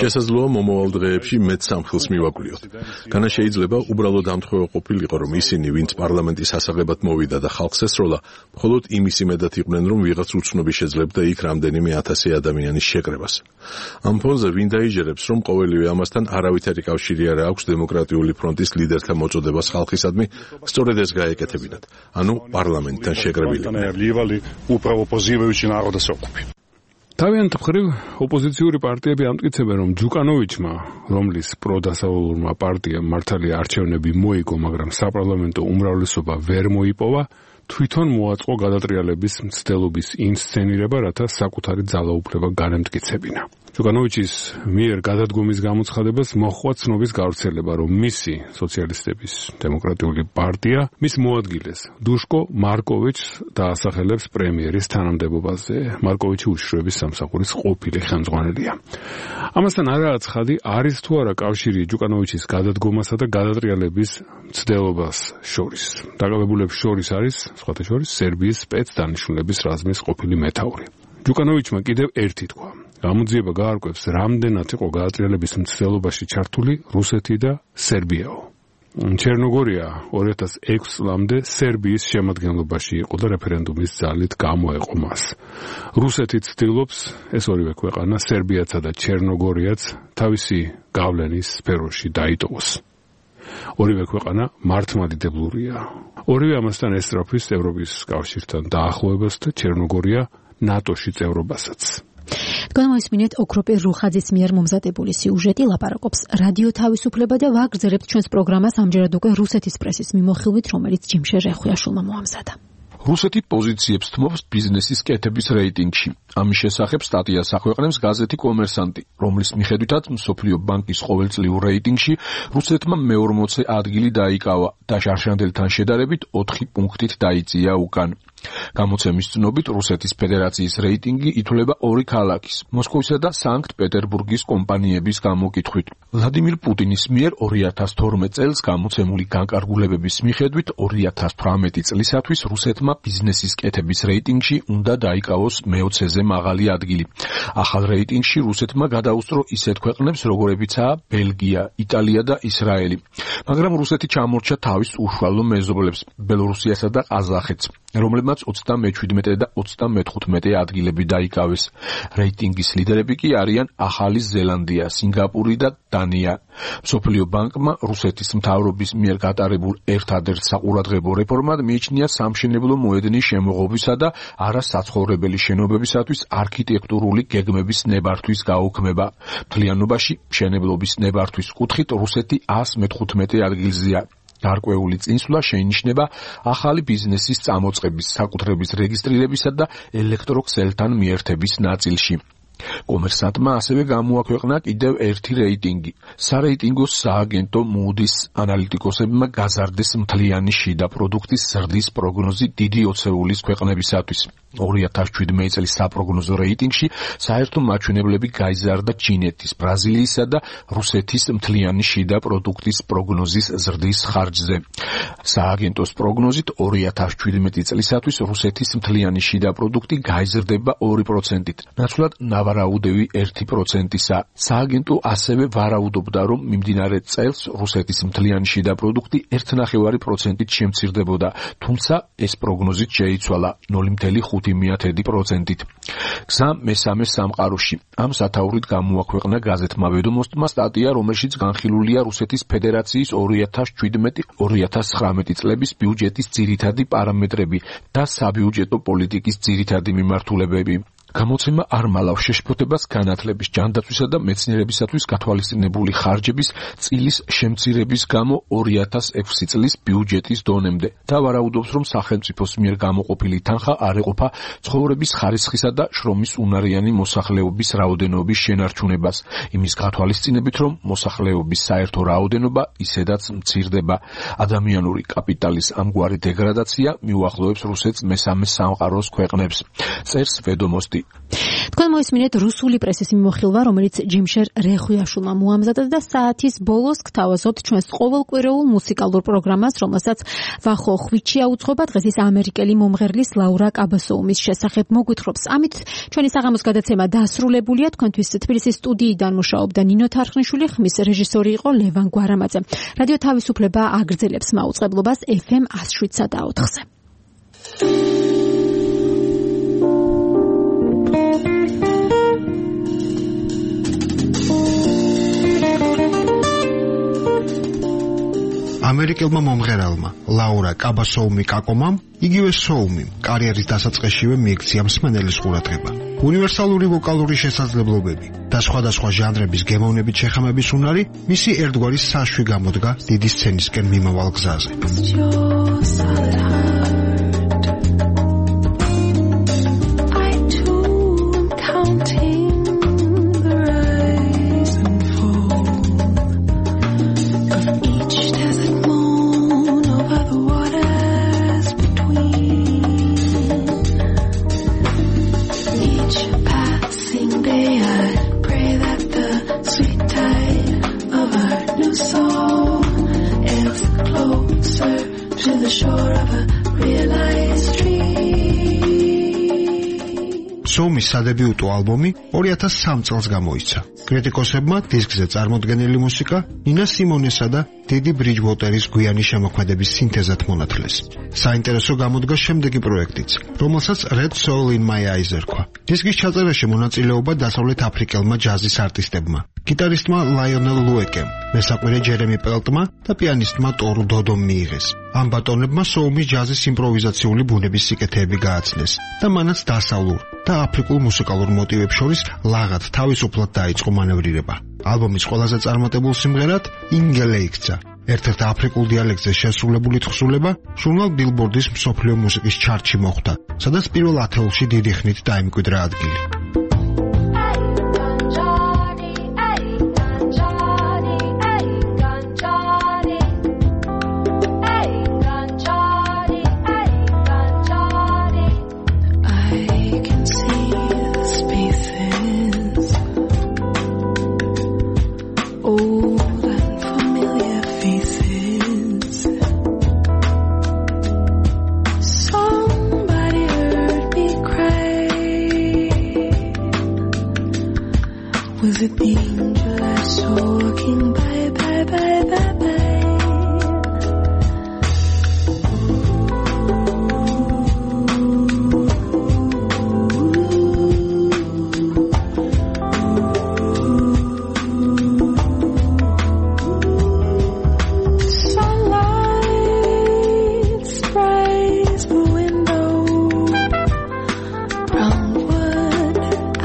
შესაძლოა მომავალ დღეებში მეც სამხილს მივაკვლიოთ. განა შეიძლება უბრალოდ ამთხოვა ყოფილიყო, რომ ისინი, ვინც პარლამენტის ასაღებად მოვიდა და ხალხს ესროლა, მხოლოდ იმის იმედად იყვნენ, რომ ვიღაც უცნობი შეძლებდა იქ რამდენიმე ათასი ადამიანის შეკრებას. ამ ფონზე ვინ დაიჯერებს, რომ ყოველივე ამასთან არავითარი კავშირი არ აქვს დემოკრატიული ფრონტის ლიდერთა მოწოდებას ხალხისადმი, სწორედ ეს გაეკეთებინათ, ანუ პარლამენტთან შეკრებილი. თავიანთ მხრივ ოპოზიციური პარტიები ამტკიცებენ, რომ ჯუკანოვიჩმა, რომლის პროდასავლურმა პარტიამ მართალია არჩევნები მოიგო, მაგრამ საპარლამენტო უმრავლესობა ვერ მოიპოვა, თვითონ მოაწყო გადატრიალების მცდელობის ინსცენირება, რათა საკუთარი ძალაუფლება განემტკიცებინა. ჯუკანოვიჩის მიერ გადადგომის გამოცხადებას მოჰყვა ცნობის გავრცელება, რომ მისი სოციალისტების დემოკრატიული პარტია მის მოადგილეს დუშკო მარკოვიჩს დაასახელებს პრემიერის თანამდებობაზე. მარკოვიჩი უშიშროების სამსახურის ყოფილი ხელმძღვანელია. ამასთან არაა ცხადი, არის თუ არა კავშირი ჯუკანოვიჩის გადადგომასა და გადატრიალების მცდელობას შორის. დაკავებულებს შორის არის, სხვათა შორის, სერბიის სპეცდანიშნულების რაზმის ყოფილი მეთაური. ჯუკანოვიჩმა კიდევ ერთი თქვა. გამოძიება გაარკვევს, რამდენად იყო გადატრიალების მცდელობაში ჩართული რუსეთი და სერბიაო. ჩერნოგორია ორი ათას ექვსი წლამდე სერბიის შემადგენლობაში იყო და რეფერენდუმის ძალით გამოეყო მას. რუსეთი ცდილობს ეს ორივე ქვეყანა, სერბიაცა და ჩერნოგორიაც, თავისი გავლენის სფეროში დაიტოვოს. ორივე ქვეყანა მართლმადიდებლურია. ორივე ამასთან ესწრაფვის ევროპის კავშირთან დაახლოებას და ჩერნოგორია ნატოში წევრობასაც. განმოისმინეთ ოქროპირ რუხაძის მიერ მომზადებული სიუჟეტი ლაპარაკობს რადიო თავისუფლება და ვაგრძელებთ ჩვენს პროგრამას ამჯერად უკვე რუსეთის პრესის მიმოხილვით, რომელიც ჯიმშე რეხვიაშვილმა მოამზადა. რუსეთი პოზიციებს თმობს ბიზნესის კეთების რეიტინგში. ამის შესახებ სტატიას აქვეყნებს გაზეთი კომერსანტი, რომლის მიხედვითაც მსოფლიო ბანკის ყოველწლიურ რეიტინგში რუსეთმა მეორმოცე ადგილი დაიკავა და შარშანდელთან შედარებით ოთხი პუნქტით დაიწია უკან. გამოცემის ცნობით რუსეთის ფედერაციის რეიტინგი ითვლება ორი ქალაქის, მოსკოვისა და სანქტ-პეტერბურგის კომპანიების გამოკითხვით. ვლადიმირ პუტინის მიერ ორი ათას თორმეტ წელს გამოცემული განკარგულებების მიხედვით ორი ათას თვრამეტი წლისათვის რუსეთმა ბიზნესის კეთების რეიტინგში უნდა დაიკავოს მეოცეზე მაღალი ადგილი. ახალ რეიტინგში რუსეთმა გადაუსწრო ისეთ ქვეყნებს, როგორებიცაა ბელგია, იტალია და ისრაელი. მაგრამ რუსეთი ჩამორჩა თავის უშუალო მეზობლებს, ბელორუსიასა და ყაზახეთს, რომლებმაც ოცდამეჩვიდმეტე და ოცდამეთხუთმეტე ადგილები დაიკავეს. რეიტინგის ლიდერები კი არიან ახალი ზელანდია, სინგაპური და დანია. მსოფლიო ბანკმა რუსეთის მთავრობის მიერ გატარებულ ერთადერთ საყურადღებო რეფორმად მიიჩნია სამშენებლო მოედნის შემოღობისა და არასაცხოვრებელი შენობებისათვის არქიტექტურული გეგმების ნებართვის გაუქმება. მთლიანობაში მშენებლობის ნებართვის კუთხით რუსეთი ას მეთხუთმეტე ადგილზეა. გარკვეული წინსვლა შეინიშნება ახალი ბიზნესის წამოწყების, საკუთრების რეგისტრირებისა და ელექტროქსელთან მიერთების ნაწილში. კომერსანტმა ასევე გამოაქვეყნა კიდევ ერთი რეიტინგი. სარეიტინგო სააგენტო Moody's ანალიტიკოსებმა გაზარდეს მთლიანი შიდა პროდუქტის ზრდის პროგნოზი დიდი ოცეულის ქვეყნებისათვის. ორი ათას შვიდმეტი წლის საპროგნოზო რეიტინგში საერთო მაჩვენებლები გაიზარდა ჩინეთის, ბრაზილიისა და რუსეთის მთლიანი შიდა პროდუქტის პროგნოზის ზრდის ხარჯზე. სააგენტოს პროგნოზით ორი ათას შვიდმეტი წლისათვის რუსეთის მთლიანი შიდა პროდუქტი გაიზრდება ორი პროცენტით. ნაცვლად ნავარაუდევი ერთი პროცენტისა. სააგენტო ასევე ვარაუდობდა, რომ მიმდინარე წელს რუსეთის მთლიანი შიდა პროდუქტი ერთი კoma ხუთი პროცენტით შემცირდებოდა, თუმცა ეს პროგნოზით შეიცვალა ნული კoma ხუთი პროცენტით. გზა მესამე სამყაროში. ამ სათაურით გამოაქვეყნა გაზეთმა ვედომოსტმა სტატია, რომელშიც განხილულია რუსეთის ფედერაციის ორი ათას შვიდმეტი ორი ათას ცხრამეტი წლების ბიუჯეტის ძირითადი პარამეტრები და საბიუჯეტო პოლიტიკის ძირითადი მიმართულებები. გამოცემა არ მალავს შეშფოთებას განათლების, ჯანდაცვისა და მეცნიერებისათვის გათვალისწინებული ხარჯების წილის შემცირების გამო ორი ათას ექვსი წლის ბიუჯეტის დონემდე და ვარაუდობს, რომ სახელმწიფოს მიერ გამოყოფილი თანხა არ ეყოფა ცხოვრების ხარისხისა და შრომის უნარიანი მოსახლეობის რაოდენობის შენარჩუნებას, იმის გათვალისწინებით, რომ მოსახლეობის საერთო რაოდენობა ისედაც მცირდება. ადამიანური კაპიტალის ამგვარი დეგრადაცია მიუახლოვებს რუსეთს მესამე სამყაროს ქვეყნებს. წერს ვედომოსტი. მანდი. თქვენ მოისმინეთ რუსული პრესის მიმოხილვა, რომელიც ჯიმშერ რეხვიაშვილმა მოამზადა და საათის ბოლოს გთავაზობთ ჩვენს ყოველკვირეულ მუსიკალურ პროგრამას, რომელსაც ვახო ხვიჩია უძღვება დღეს ამერიკელი მომღერლის ლაურა კაბასოუმის შესახებ მოგვითხრობს. ამით ჩვენი საღამოს გადაცემა დასრულებულია. თქვენთვის თბილისის სტუდიიდან მუშაობდა ნინო თარხნიშვილი, ხმის რეჟისორი იყო ლევან გვარამაძე. რადიო თავისუფლება აგრძელებს მაუწყებლობას ეფ ემ one oh seven და ოთხზე. ამერიკელმა მომღერალმა ლაურა კაბასოუმი კაკომამ იგივე სოუმიმ კარიერის დასაწყისშივე მიექცია მსმენელის ყურადღება. უნივერსალური ვოკალური შესაძლებლობები და სხვადასხვა ჟანრების გემოვნებით შეხამების უნარი მისი ერთგვარი საშვი გამოდგა დიდი სცენისკენ მიმავალ გზაზე. სოუმის სადებიუტო ალბომი two thousand three წელს გამოიცა. კრიტიკოსებმა დისკზე წარმოდგენილი მუსიკა ნინა სიმონესა და დედი ბრიჯვოტერის გვიანი შემოქმედების სინთეზად მონათლეს. საინტერესო გამოდგა შემდეგი პროექტიც, რომელსაც Red Soul in My Eyes ერქვა. დისკის ჩაწერაში მონაწილეობა დასავლეთ აფრიკელმა ჯაზის არტისტებმა, გიტარისტმა ლაიონელ ლუეკემ, მესაყვირე ჯერემი პელტმა და პიანისტმა ტორუ დოდომ მიიღეს. ამ ბატონებმა სოუმის ჯაზის იმპროვიზაციული ბუნების სიკეთეები გააცნეს და მანაც დასავლურ და აფრიკულ მუსიკალურ მოტივებს შორის ლაღად თავისუფლად დაიწყო მანევრირება. ალბომის ყველაზე წარმატებულ სიმღერად ინგელე იქცა. ერთ-ერთ აფრიკულ დიალექტზე შესრულებული თხზულება ჟურნალ ბილბორდის მსოფლიო მუსიკის ჩარტში მოხვდა, სადაც პირველ ათეულში დიდი ხნით დაიმკვიდრა ადგილი. Was it the angel I saw walking by, by, by, by, by? Sunlight sprays the window, brown wood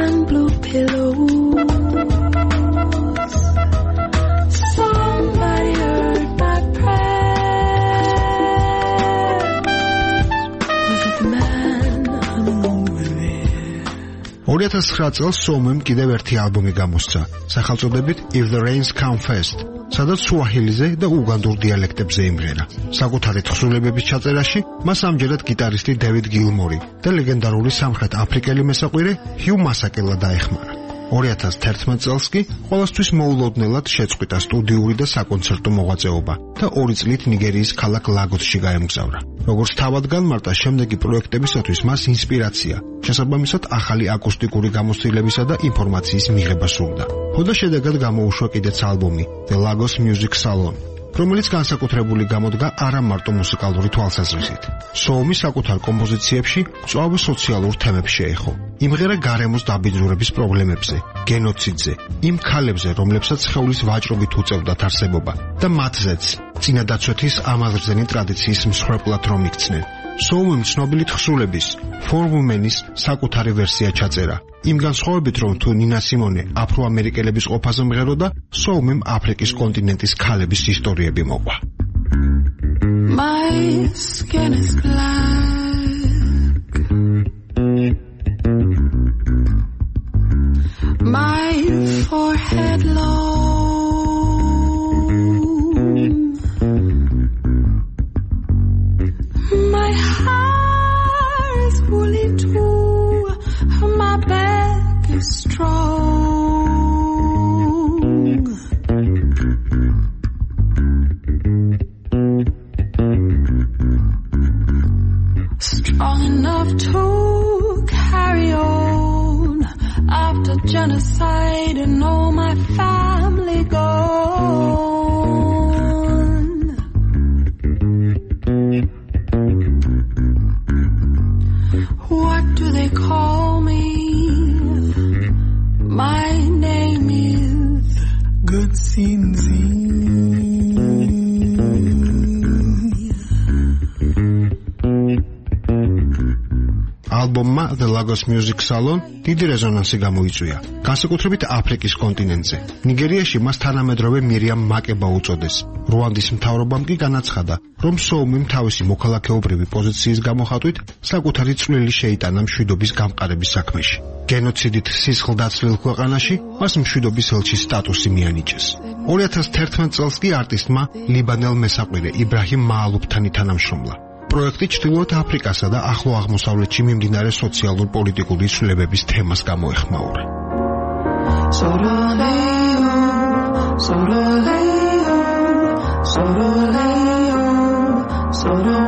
and blue pillows. two thousand nine წელს სოუმემ კიდევ ერთი ალბომი გამოსცა, სახელწოდებით If the Rains Come Fast, სადაც სუაჰილიზე და უგანდურ დიალექტებზე იმღერა. საკუთარი თხზულებების ჩაწერაში მას ამჯერად გიტარისტი დევიდ გილმორი და ლეგენდარული სამხრეთ აფრიკელი მესაყვირე ჰიუ მასაკელა დაეხმარა. two thousand one წელს კი ყოველთვის მოულოდნელად შეწყვიტა სტუდიური და საკონცერტო მოღვაწეობა და ორი წლით ნიგერიის ქალაქ ლაგოსში გაემგზავრა. როგორც თავად განმარტა, შემდეგი პროექტებისათვის მას ინსპირაცია, შესაბამისად ახალი აკუსტიკური გამოცდილებისა და ინფორმაციის მიღება სურდა. ხოდა შედეგად გამოუშვა კიდეც ალბომი The Lagos Music Salon, რომელიც განსაკუთრებული გამოდგა არა მარტო მუსიკალური თვალსაზრისით. სოუმი საკუთარ კომპოზიციებში მწვავე სოციალურ თემებს შეეხო. იმღერა გარემოს დაბინძურების პრობლემებზე, გენოციდზე, იმ ქალებზე, რომლებსაც სხეულის ვაჭრობით უწევდათ არსებობა და მათზეც წინადაცვეთის ამაზრზენი ტრადიციის მსხვერპლად რომ იქცნენ. სოუმიმ ცნობილი თხზულების For Women-ის საკუთარი ვერსია ჩაწერა. იმ განსხვავებით, რომ თუ ნინა სიმონე აფროამერიკელების ყოფაზე მღეროდა, სოუმიმ აფრიკის კონტინენტის ქალების ისტორიები მოყვა. My skin is black, my forehead long, my hair is woolly too, my back genocide and all my family gone. What do they call me? My name is Good Sinzi. ალბომმა The Lagos Music Salon დიდი რეზონანსი გამოიწვია, განსაკუთრებით აფრიკის კონტინენტზე. ნიგერიაში მას თანამედროვე მირიამ მაკება უწოდეს. რუანდის მთავრობამ კი განაცხადა, რომ სოუმიმ თავისი მოქალაქეობრივი პოზიციის გამოხატვით საკუთარი წვლილი შეიტანა მშვიდობის გამყარების საქმეში. გენოციდით სისხლდაცლილ ქვეყანაში მას მშვიდობის ელჩის სტატუსი მიანიჭეს. ორი ათას თერთმეტ წელს კი არტისტმა ლიბანელ მესაყვირე იბრაჰიმ მაალუფთან ითანამშრომლა. პროექტი ჩრდილოეთ აფრიკასა და ახლო აღმოსავლეთში მიმდინარე სოციალურ-პოლიტიკური ცვლილებების თემას გამოეხმაურა. Soroleo, soroleo, soroleo, soroleo.